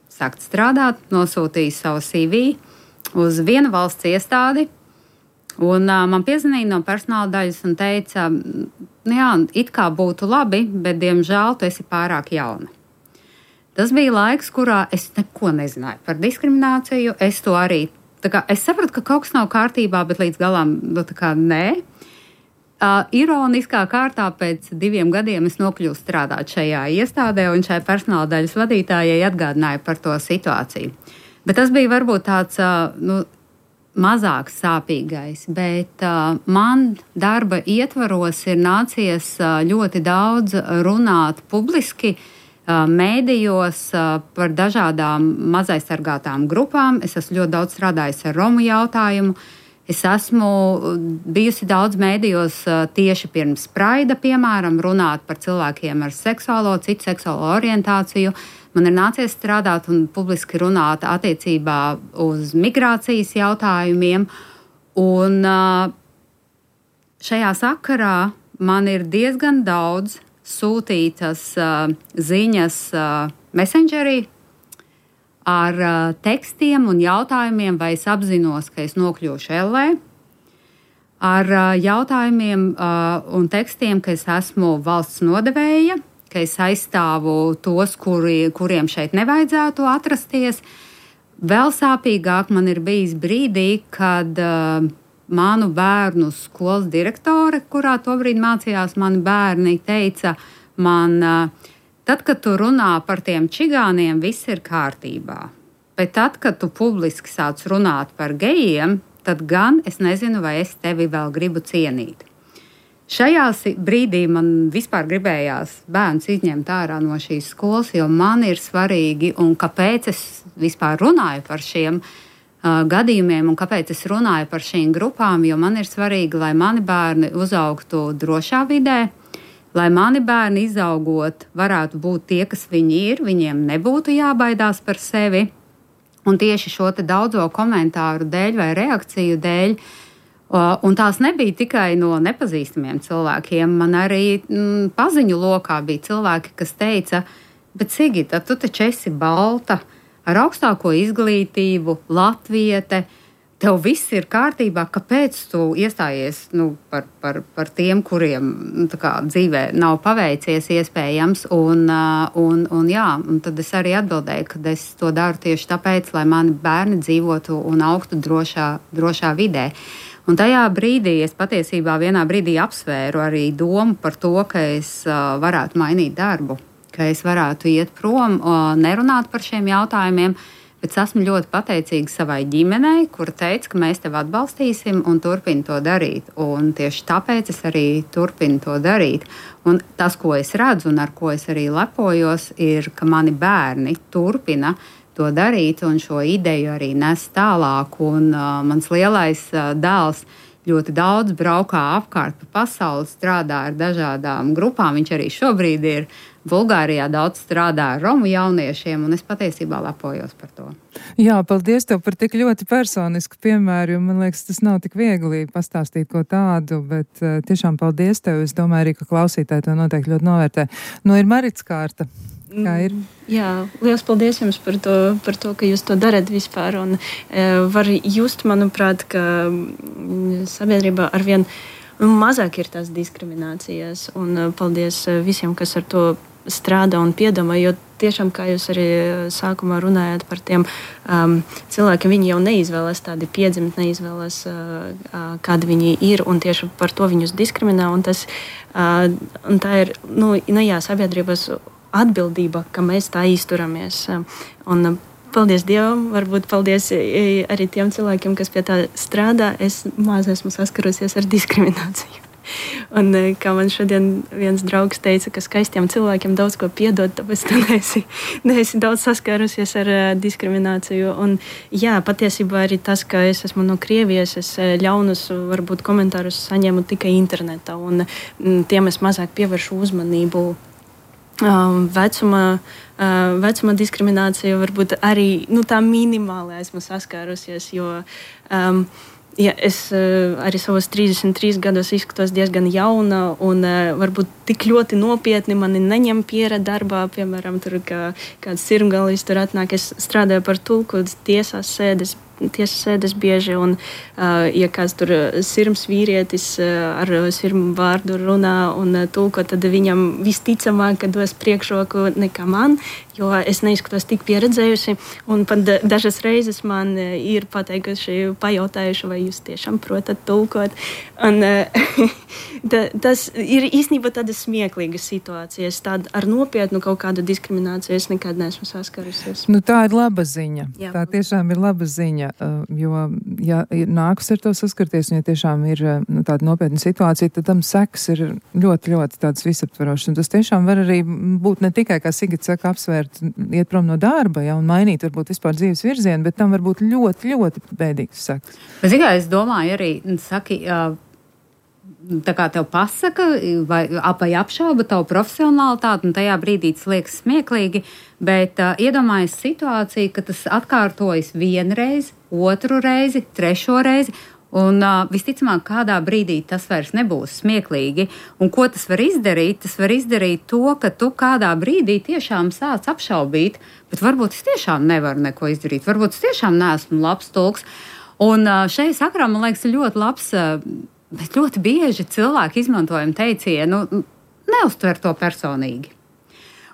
sākt strādāt, nosūtīju savu CV uz vienu valsts iestādi, un man piezvanīja no personāla daļas un teica, jā, it kā būtu labi, bet diemžēl tu esi pārāk jauna. Tas bija laiks, kurā es neko nezināju par diskrimināciju, es to arī, es sapratu, ka kaut kas nav kārtībā, bet līdz galām, nē. Ironiskā kārtā pēc 2 gadiem es nokļuvu strādāt šajā iestādē, un šai personāla daļas vadītājai atgādināju par to situāciju. Bet tas bija varbūt tāds mazāk sāpīgais, bet man darba ietvaros ir nācies ļoti daudz runāt publiski mēdījos par dažādām mazaizsargātām grupām. Es esmu ļoti daudz strādājis ar Romu jautājumu. Es esmu bijusi daudz mēdījos tieši pirms Praida, piemēram, runāt par cilvēkiem ar citu seksuālo orientāciju. Man ir nācies strādāt un publiski runāt attiecībā uz migrācijas jautājumiem. Un šajā sakarā man ir diezgan daudz sūtītas ziņas Messengerī ar tekstiem un jautājumiem, vai es apzinos, ka es nokļūšu ellē, ar jautājumiem un tekstiem, ka es esmu valsts nodevēja, ka es aizstāvu tos, kuriem šeit nevajadzētu atrasties. Vēl sāpīgāk man ir bijis brīdī, kad manu bērnu skolas direktore, kurā tobrīd mācījās mani bērni, teica man, tad, kad tu runā par tiem čigāniem, viss ir kārtībā. Bet tad, kad tu publiski sāc runāt par gejiem, tad gan es nezinu, vai es tevi vēl gribu cienīt. Šajā brīdī man vispār gribējās bērns izņemt ārā no šīs skolas, jo man ir svarīgi, un kāpēc es vispār runāju par šiem gadījumiem, un kāpēc es runāju par šīm grupām, jo man ir svarīgi, lai mani bērni uzaugtu drošā vidē, lai mani bērni izaugot varētu būt tie, kas viņi ir, viņiem nebūtu jābaidās par sevi. Un tieši šo te daudzo komentāru dēļ vai reakciju dēļ, un tās nebija tikai no nepazīstamiem cilvēkiem, man arī paziņu lokā bija cilvēki, kas teica, bet Sigita, tu taču esi balta, ar augstāko izglītību, latviete, tev viss ir kārtībā, kāpēc tu iestājies par tiem, kuriem dzīvē nav paveicies iespējams. Un tad es arī atbildēju, ka es to daru tieši tāpēc, lai mani bērni dzīvotu un augtu drošā vidē. Un tajā brīdī es patiesībā vienā brīdī apsvēru arī domu par to, ka es varētu mainīt darbu, ka es varētu iet prom, nerunāt par šiem jautājumiem. Bet es esmu ļoti pateicīga savai ģimenei, kur teica, ka mēs tevi atbalstīsim un turpina to darīt. Un tieši tāpēc es arī turpinu to darīt. Un tas, ko es redzu un ar ko es arī lepojos, ir, ka mani bērni turpina to darīt un šo ideju arī nes tālāk. Un mans lielais dēls ļoti daudz braukā apkārt pa pasauli, strādā ar dažādām grupām. Viņš arī šobrīd ir Bulgārijā, daudz strādā ar romu jauniešiem, un es patiesībā lepojos par to. Jā, paldies tev par tik ļoti personisku piemēru, jo man liekas, tas nav tik viegli pastāstīt ko tādu, bet tiešām paldies tev. Es domāju arī, ka klausītāji to noteikti ļoti novērtē. Ir Marits kārta. Kā ir? Jā, liels paldies jums par to, ka jūs to darat vispār. Un var just, manuprāt, ka sabiedrībā arvien mazāk ir tās diskriminācijas. Un paldies visiem, kas ar to strādā un piedomā, jo tiešām, kā jūs arī sākumā runājāt par tiem cilvēkiem, viņi jau neizvēlas tādi piedzimt, neizvēlas, kādi viņi ir, un tieši par to viņus diskriminē. Un tā ir, sabiedrības atbildība, ka mēs tā izturamies. Un paldies Dievam, varbūt paldies arī tiem cilvēkiem, kas pie tā strādā. Es maz esmu saskarusies ar diskrimināciju. Un kā man šodien viens draugs teica, ka skaistiem cilvēkiem daudz ko piedod, tāpēc tu neesi daudz saskārusies ar diskrimināciju. Un jā, patiesībā arī tas, ka es esmu no Krievijas, es ļaunus varbūt komentārus saņemu tikai internetā, un tiem es mazāk pievēršu uzmanību. Vecuma diskriminācija varbūt arī tā minimāli esmu saskārusies, jo es arī savos 33 gados izskatos diezgan jauna, un varbūt tik ļoti nopietni mani neņem pieredze darbā, piemēram, tur kāds sirmgalis tur atnāk, es strādāju par tulku, tiesas sēdes bieži, un ja kāds tur sirms vīrietis ar sirmu vārdu runā un tulko, tad viņam visticamāk, ka dos priekšroku nekā man, jo es neizskatos tik pieredzējusi, un pat dažas reizes man ir pajautājuši, vai jūs tiešām protat tulkot. Un tas ir īstenībā tādas smieklīgas situācijas, tāda ar nopietnu kaut kādu diskrimināciju es nekad neesmu saskarusies. Tā ir laba ziņa. Jā. Tā tiešām ir laba ziņa, jo, ja nākas ar to saskarties, un ja tiešām ir tāda nopietna situācija, tad tam seks ir ļoti, ļoti tāds visaptverošs, un tas tiešām var arī būt ne tikai, kā Sigita saka, apsvērt varat iet prom no darba, ja, un mainīt varbūt vispār dzīves virzienu, bet tam var būt ļoti, ļoti bēdīgs sekas. Es domāju arī, saki, tā kā tev pasaka vai apšauba tavu profesionalitāti, un tajā brīdī tas liekas smieklīgi, bet iedomājies situāciju, ka tas atkārtojas vienreiz, otru reizi, trešo reizi, un visticamāk kādā brīdī tas vairs nebūs smieklīgi. Un ko tas var izdarīt? Tas var izdarīt to, ka tu kādā brīdī tiešām sāc apšaubīt, bet varbūt es tiešām nevaru neko izdarīt, varbūt es tiešām neesmu labs tulks. Un šai sakrā, man liekas, ir ļoti labs. Bet ļoti bieži cilvēki izmantojam teicienu, neuztver to personīgi.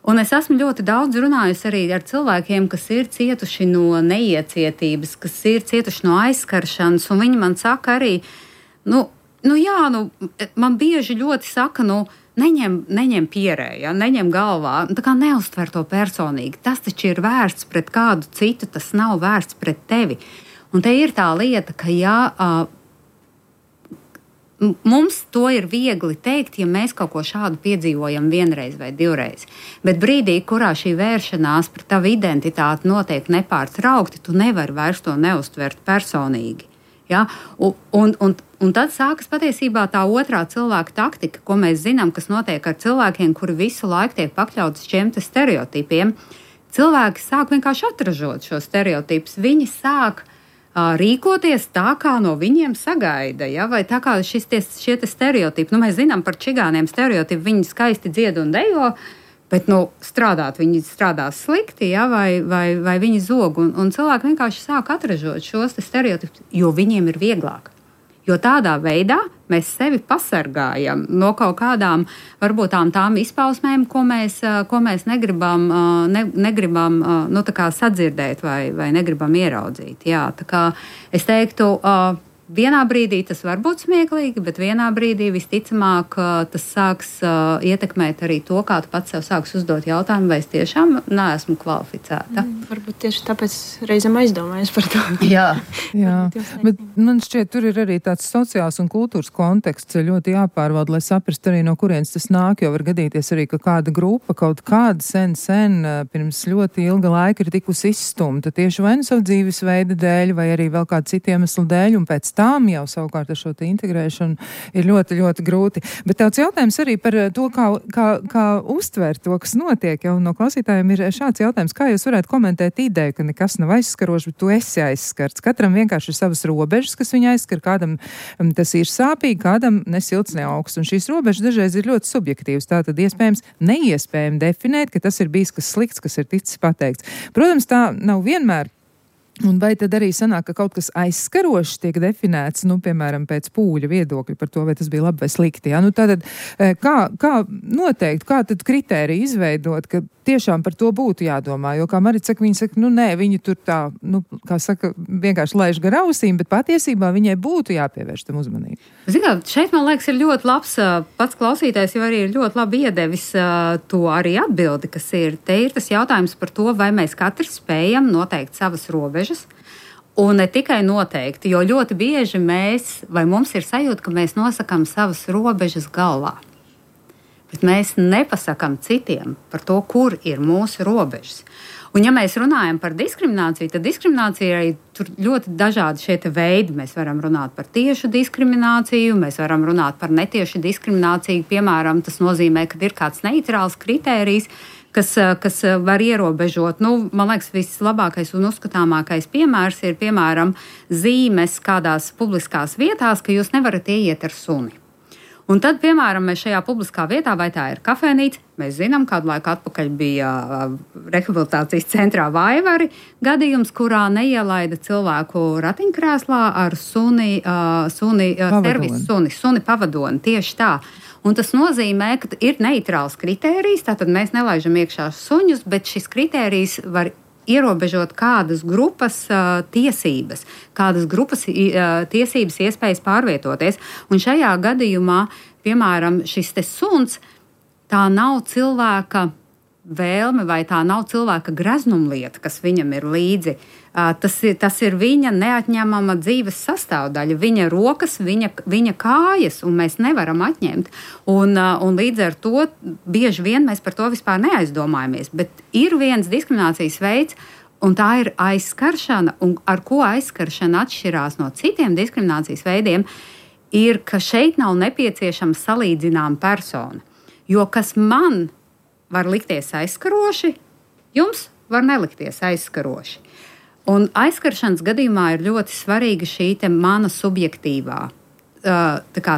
Un es esmu ļoti daudz runājusi arī ar cilvēkiem, kas ir cietuši no neiecietības, kas ir cietuši no aizskaršanas, un viņi man saka arī, man bieži ļoti saka, neņem pierē, ja, neņem galvā, tā kā neuztver to personīgi. Tas taču ir vērsts pret kādu citu, tas nav vērsts pret tevi. Un te ir tā lieta, ka mums to ir viegli teikt, ja mēs kaut ko šādu piedzīvojam vienreiz vai divreiz. Bet brīdī, kurā šī vēršanās pret tavu identitāti notiek nepārtraukti, tu nevari vairs to neuztvert personīgi. Ja? Un tad sākas patiesībā tā otrā cilvēka taktika, ko mēs zinām, kas notiek ar cilvēkiem, kuri visu laiku tiek pakļauts šiem te stereotipiem. Cilvēki sāk vienkārši atražot šo stereotipus. Viņi sāk rīkoties tā, kā no viņiem sagaida, ja? Vai tā kā šie te stereotipi. Mēs zinām par čigāniem stereotipu, viņi skaisti dzied un dejo, bet viņi strādās slikti, ja? vai viņi zog. Un cilvēki vienkārši sāk atražot šos te stereotipus, jo viņiem ir vieglāk. Jo tādā veidā mēs sevi pasargājam no kaut kādām, varbūt tām izpausmēm, ko mēs negribam tā kā sadzirdēt vai negribam ieraudzīt. Jā, tā kā es teiktu, vienā brīdī tas var būt smieklīgi, bet vienā brīdī visticamāk tas sāks ietekmēt arī to, kā tu pats sev sāks uzdot jautājumu, vai es tiešām neesmu kvalificēta. Varbūt tieši tāpēc reizēm aizdomājas par to. Jā. Bet man šķiet, tur ir arī tāds sociāls un kultūras konteksts ļoti jāpārvalda, lai saprast arī no kurienes tas nāk, jo var gadīties arī, ka kāda grupa kaut kāda sen pirms ļoti ilga laika ir tikusi izstumta tieši vai nu savu dzīvesveida dēļ, vai arī vēl kādu citu iemeslu dēļ, un pēc tām jau savukārt ar šo te integrēšanu ir ļoti, ļoti grūti. Bet tāds jautājums arī par to, kā uztvērt to, kas notiek, jau no klausītājiem ir šāds jautājums, kā jūs varētu komentēt ideju, ka nekas nav aizskarošs, bet tu esi aizskarts. Katram vienkārši ir savas robežas, kas viņu aizskar, kādam tas ir sāpīgi, kādam ne silts, ne augsts. Un šīs robežas dažreiz ir ļoti subjektīvas. Tātad neiespējami definēt, ka tas ir bijis kas slikts, kas ir ticis pateikts. Protams, tā nav vienmēr. Un vai tad arī sanāk, ka kaut kas aizskarošs tiek definēts, piemēram, pēc pūļa viedokļa par to, vai tas bija labi vai slikti? Ja? Tātad, kā noteikt, kā tad kritēriju izveidot, ka tiešām par to būtu jādomā? Jo, kā Marita saka, viņi tur tā, kā saka, vienkārši laiž gar ausīm, bet patiesībā viņai būtu jāpievērš tam uzmanību. Zināt, šeit, man liekas, ir ļoti labs, pats klausītājs jau arī ir ļoti labi iedevis to arī atbildi, kas ir. Te ir tas jautājums par to, vai mēs katrs spējam noteikt savas robežas. Un ne tikai noteikti, jo ļoti bieži mums ir sajūta, ka mēs nosakām savas robežas galvā. Bet mēs nepasakām citiem par to, kur ir mūsu robežas. Un ja mēs runājam par diskrimināciju, tad diskriminācija arī tur ļoti dažādi šie veidi. Mēs varam runāt par tiešu diskrimināciju, mēs varam runāt par netiešu diskrimināciju. Piemēram, tas nozīmē, ka ir kāds neitrāls kritērijs, kas var ierobežot. Man liekas, vislabākais un uzskatāmākais piemērs ir, piemēram, zīmes kādās publiskās vietās, ka jūs nevarat ieiet ar suni. Un tad, piemēram, mēs šajā publiskā vietā, vai tā ir kafejnīca, mēs zinām, kādu laiku atpakaļ bija rehabilitācijas centrā Vaivari gadījums, kurā neielaida cilvēku ratiņkrēslā ar suni pavadoni, tieši tā. Un tas nozīmē, ka ir neitrāls kritērijs, tātad mēs nelaižam iekšā suņus, bet šis kritērijs var ierobežot kādas grupas tiesības, kādas grupas tiesības iespējas pārvietoties. Un šajā gadījumā, piemēram, šis te suns, tā nav cilvēka vēlme vai tā nav cilvēka greznumlieta, kas viņam ir līdzi. Tas ir viņa neatņemama dzīves sastāvdaļa, viņa rokas, viņa kājas, un mēs nevaram atņemt. Un līdz ar to bieži vien mēs par to vispār neaizdomājamies. Bet ir viens diskriminācijas veids, un tā ir aizskaršana, un ar ko aizskaršana atšķirās no citiem diskriminācijas veidiem, ir, ka šeit nav nepieciešama salīdzināma persona. Jo kas man var likties aizskaroši, jums var nelikties aizskaroši. Un aizskaršanas gadījumā ir ļoti svarīga šī mana subjektīvā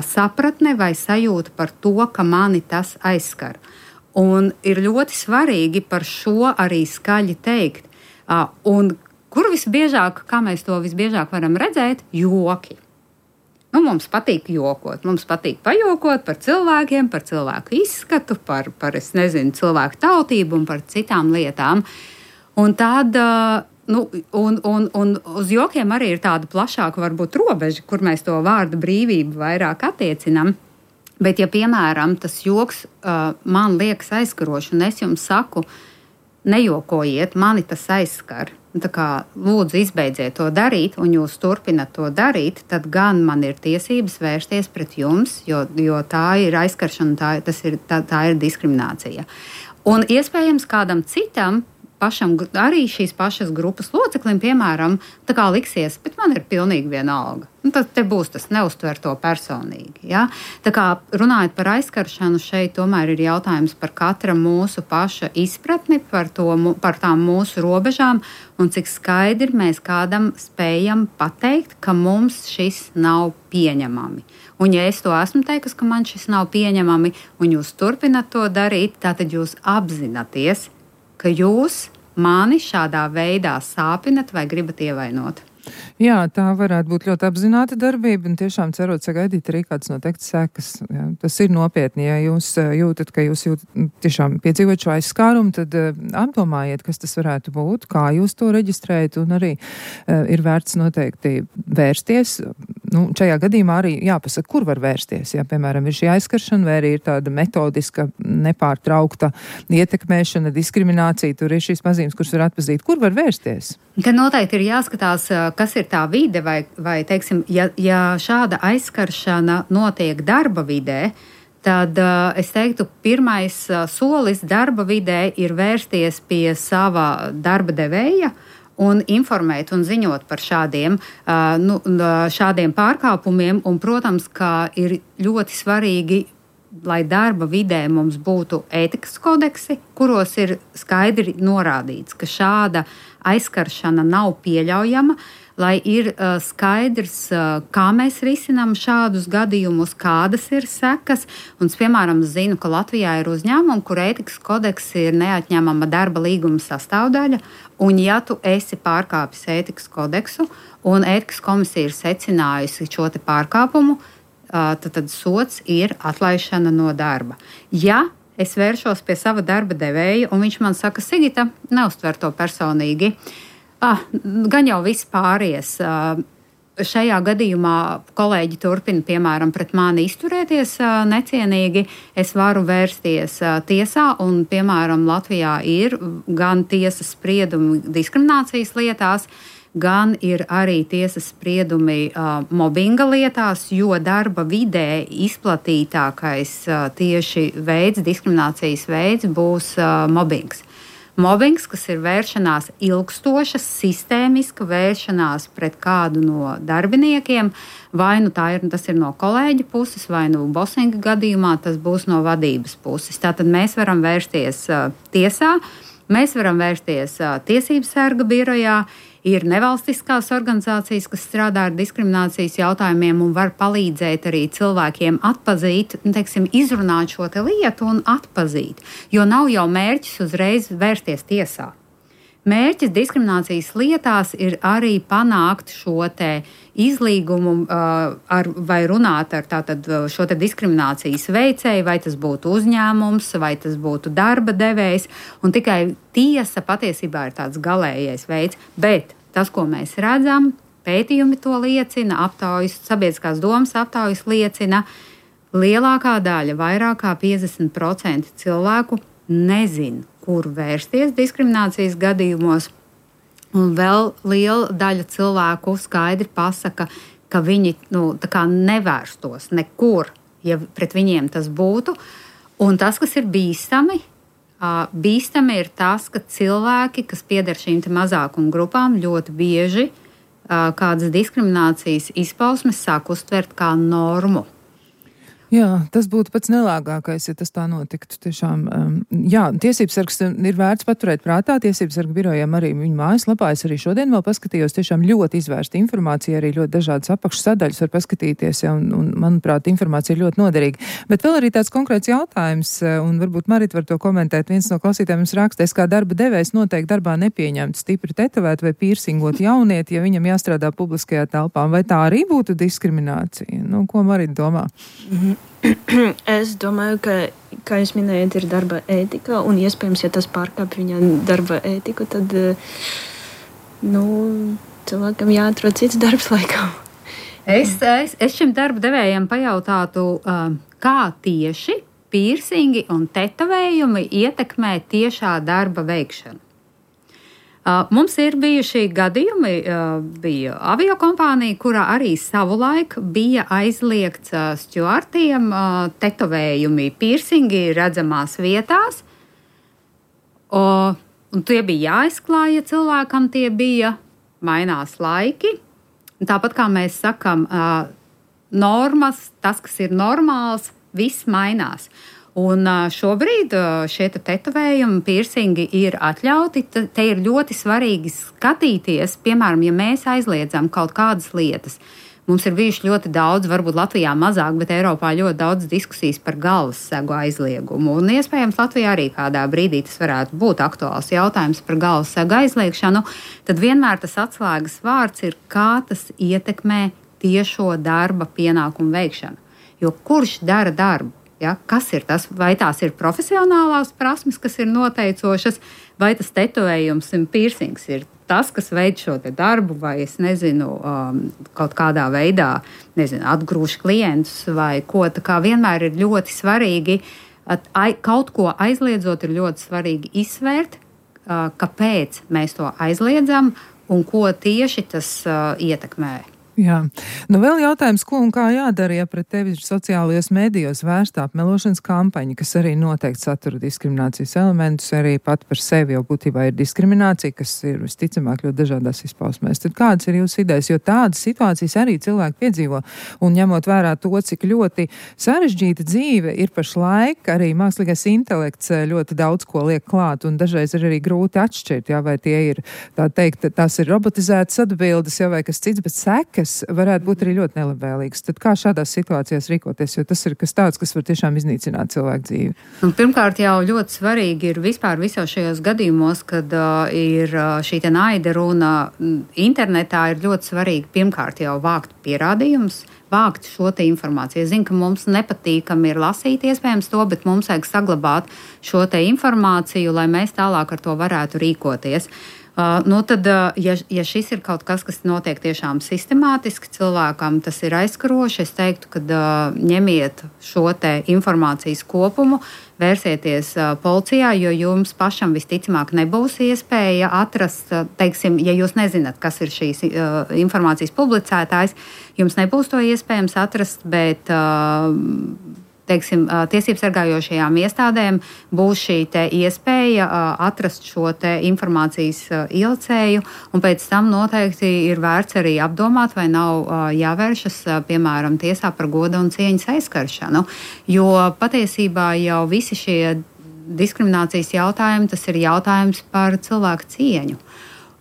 sapratne vai sajūta par to, ka mani tas aizskar. Un ir ļoti svarīgi par šo arī skaļi teikt. Un kur visbiežāk, kā mēs to visbiežāk varam redzēt, joki. Mums patīk jokot, mums patīk pajokot par cilvēkiem, par cilvēku izskatu, par cilvēku tautību un par citām lietām. Un tad, un uz jokiem arī ir tāda plašāka varbūt robeža, kur mēs to vārdu brīvību vairāk attiecinam. Bet, ja, piemēram, tas joks man liekas aizskaroši, un es jums saku, nejokojiet, mani tas aizskar. Tā kā lūdzu izbeidziet to darīt, un jūs turpinat to darīt, tad gan man ir tiesības vērsties pret jums, jo tā ir aizskaršana, tā ir diskriminācija. Un iespējams kādam citam, pašam arī šīs pašas grupas loceklim, piemēram, tā kā liksies, bet man ir pilnīgi vienalga. Tad te būs tas neuztver to personīgi. Ja? Tā kā runājot par aizskaršanu, šeit tomēr ir jautājums par katra mūsu paša izpratni, par tām mūsu robežām un cik skaidri mēs kādam spējam pateikt, ka mums šis nav pieņemami. Un ja es to esmu teikusi, ka man šis nav pieņemami, un jūs turpinat to darīt, tātad jūs apzināties, ka jūs mani šādā veidā sāpinat vai gribat ievainot. Jā, tā varētu būt ļoti apzināta darbība un tiešām cerot sagaidīt arī kāds noteikts sekas. Jā, tas ir nopietni, ja jūs jūtat, ka jūs tiešām piedzīvot šo aizskārumu, tad apdomājiet, kas tas varētu būt, kā jūs to reģistrējat un arī ir vērts noteikti vērsties. Šajā gadījumā arī jāpasaka, kur var vērsties. Ja, piemēram, ir šī aizskaršana vai arī ir tāda metodiska, nepārtraukta ietekmēšana, diskriminācija, tur ir šīs pazīmes, kuras var atpazīt. Kur var vērsties? Te noteikti ir jāskatās, kas ir tā vide, vai teiksim, ja šāda aizskaršana notiek darba vidē, tad es teiktu, pirmais solis darba vidē ir vērsties pie sava darba devēja un informēt un ziņot par šādiem pārkāpumiem. Un, protams, ka ir ļoti svarīgi, lai darba vidē mums būtu ētikas kodeksi, kuros ir skaidri norādīts, ka šāda aizskaršana nav pieļaujama, lai ir skaidrs, kā mēs risinām šādus gadījumus, kādas ir sekas. Un, piemēram, zinu, ka Latvijā ir uzņēmumi, kur ētikas kodeks ir neatņemama darba līguma sastāvdaļa, un ja tu esi pārkāpis ētikas kodeksu un ētikas komisija ir secinājusi šo te pārkāpumu, tad sots ir atlaišana no darba. Ja es vēršos pie sava darba devēja, un viņš man saka, Sigita, neuztver to personīgi, gan jau viss pāries. Šajā gadījumā kolēģi turpina, piemēram, pret mani izturēties necienīgi. Es varu vērsties tiesā, un, piemēram, Latvijā ir gan tiesas spriedumi diskriminācijas lietās, gan ir arī tiesas spriedumi mobbinga lietās, jo darba vidē izplatītākais tieši diskriminācijas veids būs mobbings. Mobbings, kas ir vēršanās ilgstoša, sistēmiska vēršanās pret kādu no darbiniekiem, vai tas ir no kolēģa puses, vai bosinga gadījumā tas būs no vadības puses. Tātad mēs varam vērsties tiesā, mēs varam vērsties tiesību sarga birojā. Ir nevalstiskās organizācijas, kas strādā ar diskriminācijas jautājumiem un var palīdzēt arī cilvēkiem atpazīt, izrunāt šo lietu un atpazīt. Jo nav jau mērķis uzreiz vērsties tiesā. Mērķis diskriminācijas lietās ir arī panākt šo izlīgumu vai runāt ar šo diskriminācijas veicēju, vai tas būtu uzņēmums, vai tas būtu darba devējs. Un tikai tiesa patiesībā ir tāds galējais veids. Bet tas, ko mēs redzam, pētījumi to liecina, sabiedriskās domas aptaujas liecina, lielākā daļa, vairāk kā 50% cilvēku nezin, kur vērsties diskriminācijas gadījumos. Un vēl liela daļa cilvēku skaidri pasaka, ka viņi tā kā nevērstos nekur, ja pret viņiem tas būtu. Un tas, kas ir bīstami, bīstami ir tas, ka cilvēki, kas pieder šīm mazākuma grupām, ļoti bieži kādas diskriminācijas izpausmes sāk uztvert kā normu. Jā, tas būtu pats nelāgākais, ja tas tā notiktu. Tiešām, jā, tiesībsargs ir vērts paturēt prātā. Tiesībsarga birojiem arī viņa mājaslapā. Es arī šodien vēl paskatījos, tiešām ļoti izvērsta informācija, arī ļoti dažādas apakšsadaļas var paskatīties, ja, un manuprāt, informācija ir ļoti noderīga. Bet vēl arī tāds konkrēts jautājums, un varbūt Marita var to komentēt. Viens no klausītājiem mums raksta, es kā darba devējs noteikti darbā nepieņemtu stipri tetovēt vai pīrsingot jaunieti, ja viņam jāstrādā publiskajā telpā. Vai tā arī būtu diskriminācija? Ko Marita domā? Es domāju, ka, kā jūs minējat, ir darba ētika, un iespējams, ja tas pārkāpj viņa darba ētiku, tad cilvēkam jāatrod cits darbs laikam. Es šim darba devējiem pajautātu, kā tieši pīrsingi un tetovējumi ietekmē tiešā darba veikšanu. Mums ir bijuši gadījumi, bija aviokompānija, kurā arī savulaik bija aizliegts stjuartiem tetovējumi, pīrsingi redzamās vietās. Un tie bija jāizklāj, ja cilvēkam tie bija, mainās laiki. Tāpat kā mēs sakam, normas, tas, kas ir normāls, viss mainās. Un šobrīd šie tetovējumi, pīrsingi ir atļauti. Te ir ļoti svarīgi skatīties, piemēram, ja mēs aizliedzam kaut kādas lietas. Mums ir bijuši ļoti daudz, varbūt Latvijā mazāk, bet Eiropā ļoti daudz diskusijas par galvas segu aizliegumu. Un iespējams Latvijā arī kādā brīdī tas varētu būt aktuāls jautājums par galvas segu aizliegšanu. Tad vienmēr tas atslēgas vārds ir, kā tas ietekmē tiešo darba pienākumu veikšanu. Jo kurš dara darbu? Ja, kas ir tas? Vai tās ir profesionālās prasmes, kas ir noteicošas, vai tas tetovējums un pīrsings ir tas, kas veic šo darbu, vai es nezinu, kaut kādā veidā atgrūž klientus vai ko. Tā kā vienmēr ir ļoti svarīgi, kaut ko aizliedzot, ir ļoti svarīgi izsvērt, kāpēc mēs to aizliedzam un ko tieši tas ietekmē. Jā. Vēl jautājums, ko un kā jādara, ja pret tevi sociālajos mēdījos vērsta apmelošanas kampaņa, kas arī noteikti satura diskriminācijas elementus, arī pat par sevi jau būtībā ir diskriminācija, kas ir visticamāk ļoti dažādās izpausmēs. Tad kādas ir jūsu idejas? Jo tādas situācijas arī cilvēki piedzīvo, un ņemot vērā to, cik ļoti sarežģīta dzīve ir pašlaik, arī mākslīgais intelekts ļoti daudz ko liek klāt, un dažreiz ir arī grūti atšķirt, ja, vai tie ir, tā teikt, tās ir robotizētas atbildes, ja, vai kas cits, bet sekas varētu būt arī ļoti nelabvēlīgs. Tad kā šādās situācijās rīkoties, jo tas ir kas tāds, kas var tiešām iznīcināt cilvēku dzīvi? Pirmkārt, jau ļoti svarīgi ir vispār visos šajos gadījumos, kad ir šī naida runa internetā, ir ļoti svarīgi pirmkārt jau vākt pierādījumus, vākt šo informāciju. Es zinu, ka mums nepatīkami ir lasīt iespējams to, bet mums vajag saglabāt šo informāciju, lai mēs tālāk ar to varētu rīkoties. Tad, ja šis ir kaut kas, kas notiek tiešām sistemātiski cilvēkam, tas ir aizskaroši, es teiktu, ka ņemiet šo informācijas kopumu, vērsieties policijā, jo jums pašam visticamāk nebūs iespēja atrast, teiksim, ja jūs nezināt, kas ir šīs informācijas publicētājs, jums nebūs to iespējams atrast, bet teiksim, tiesību sargājošajām iestādēm būs šī iespēja atrast šo informācijas ilcēju, un pēc tam noteikti ir vērts arī apdomāt, vai nav jāvēršas, piemēram, tiesā par goda un cieņas aizskaršanu, jo patiesībā jau visi šie diskriminācijas jautājumi, tas ir jautājums par cilvēku cieņu.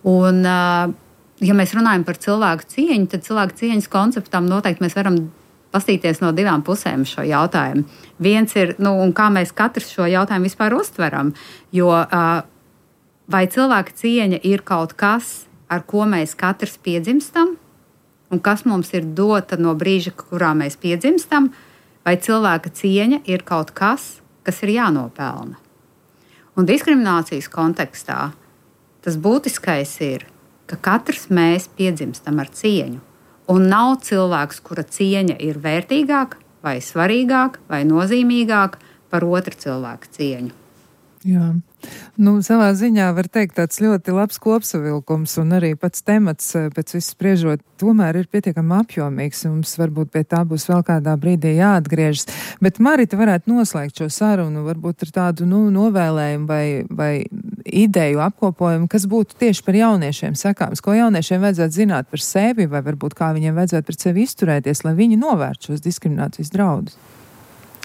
Un, ja mēs runājam par cilvēku cieņu, tad cilvēku cieņas konceptam noteikti mēs varam pastīties no divām pusēm šo jautājumu. Viens ir, un kā mēs katrs šo jautājumu vispār uztveram, jo vai cilvēka cieņa ir kaut kas, ar ko mēs katrs piedzimstam, un kas mums ir dota no brīža, kurā mēs piedzimstam, vai cilvēka cieņa ir kaut kas, kas ir jānopelna. Un diskriminācijas kontekstā tas būtiskais ir, ka katrs mēs piedzimstam ar cieņu. Un nav cilvēks, kura cieņa ir vērtīgāka, vai svarīgāka, vai nozīmīgāka par otru cilvēku cieņu. Jā. Nu, savā ziņā var teikt tāds ļoti labs kopsavilkums un arī pats temats pēc visu spriežot tomēr ir pietiekami apjomīgs un mums varbūt pie tā būs vēl kādā brīdī jāatgriežas. Bet Marita varētu noslēgt šo sarunu varbūt ar tādu novēlējumu vai ideju apkopojumu, kas būtu tieši par jauniešiem sakāms, ko jauniešiem vajadzētu zināt par sevi vai varbūt kā viņiem vajadzētu pret sevi izturēties, lai viņi novērtu šos diskriminācijas draudus.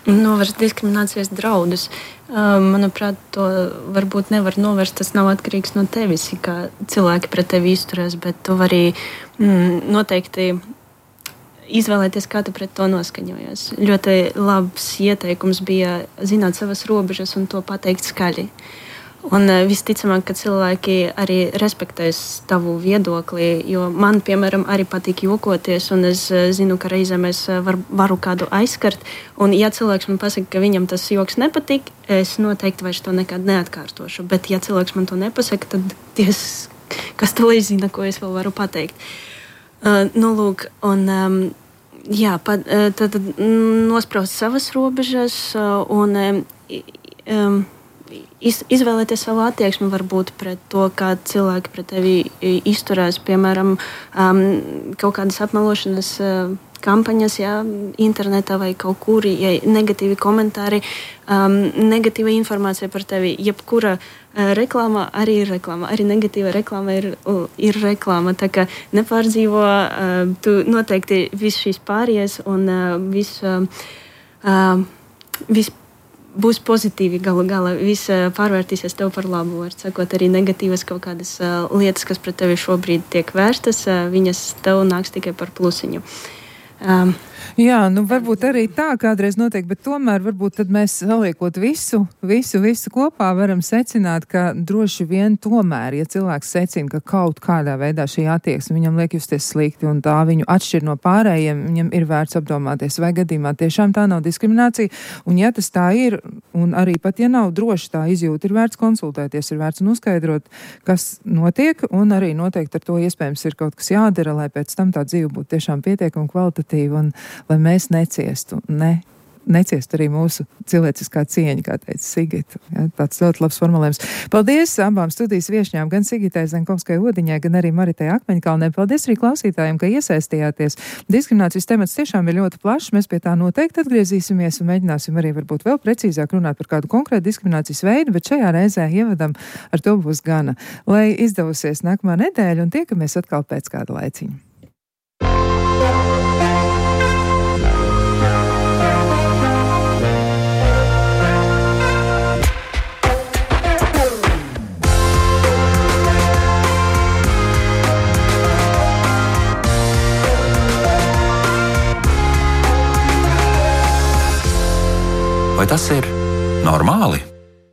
Novērst diskriminācijas draudus. Manuprāt, to varbūt nevar novērst. Tas nav atkarīgs no tevis, kā cilvēki pret tevi izturēs, bet tu vari noteikti izvēlēties, kā tu pret to noskaņojies. Ļoti labs ieteikums bija zināt savas robežas un to pateikt skaļi. Un visticamāk, ka cilvēki arī respektēs tavu viedokli, jo man, piemēram, arī patīk jokoties, un es zinu, ka reizēm es varu kādu aizskart, un ja cilvēks man pasaka, ka viņam tas joks nepatīk, es noteikti vairs to nekad neatkārtošu, bet ja cilvēks man to nepasaka, tad kas to lai zina, ko es vēl varu pateikt. Lūk, un tad nospraust savas robežas un izvēlēties savu attieksmi varbūt pret to, kā cilvēki pret tevi izturās, piemēram, kaut kādas apmelošanas kampaņas, internetā vai kaut kur, negatīvi komentāri, negatīva informācija par tevi, jebkura reklāma arī ir reklāma, arī negatīva reklāma ir reklāma, tā kā nepārdzīvo, tu noteikti viss šīs pārējas un viss būs pozitīvi galu galā, viss pārvērtīsies tev par labu, var sakot, arī negatīvas kaut kādas lietas, kas pret tevi šobrīd tiek vērstas, viņas tev nāks tikai par plusiņu. Jā, varbūt arī tā kādreiz notiek, bet tomēr varbūt tad mēs saliekot visu kopā varam secināt, ka droši vien tomēr, ja cilvēks secina, ka kaut kādā veidā šī attieksme viņam liek justies slikti un tā viņu atšķir no pārējiem, viņam ir vērts apdomāties, vai gadījumā tiešām tā nav diskriminācija, un ja tas tā ir, un arī pat ja nav droši tā izjūta, ir vērts konsultēties, ir vērts un uzskaidrot, kas notiek, un arī noteikti ar to iespējams ir kaut kas jādara, lai pēc tam tā dzīve būtu tiešām pietiekama kvalitatīva un lai mēs neciestu, neciestu arī mūsu cilvēciskā cieņa, kā teica Sigita. Ja, tāds ļoti labs formulējums. Paldies abām studijas viešņām, gan Sigitai Zenkovskai-Odiņai, gan arī Maritai Akmeņkalnei. Paldies arī klausītājiem, ka iesaistījāties. Diskriminācijas temats tiešām ir ļoti plašs, mēs pie tā noteikti atgriezīsimies un mēģināsim arī varbūt vēl precīzāk runāt par kādu konkrētu diskriminācijas veidu, bet šajā reizē ievadam ar to būs gana. Lai izdevusies nākamā nedēļa un tiekamies atkal pēc kāda laiciņa. Vai tas ir normāli?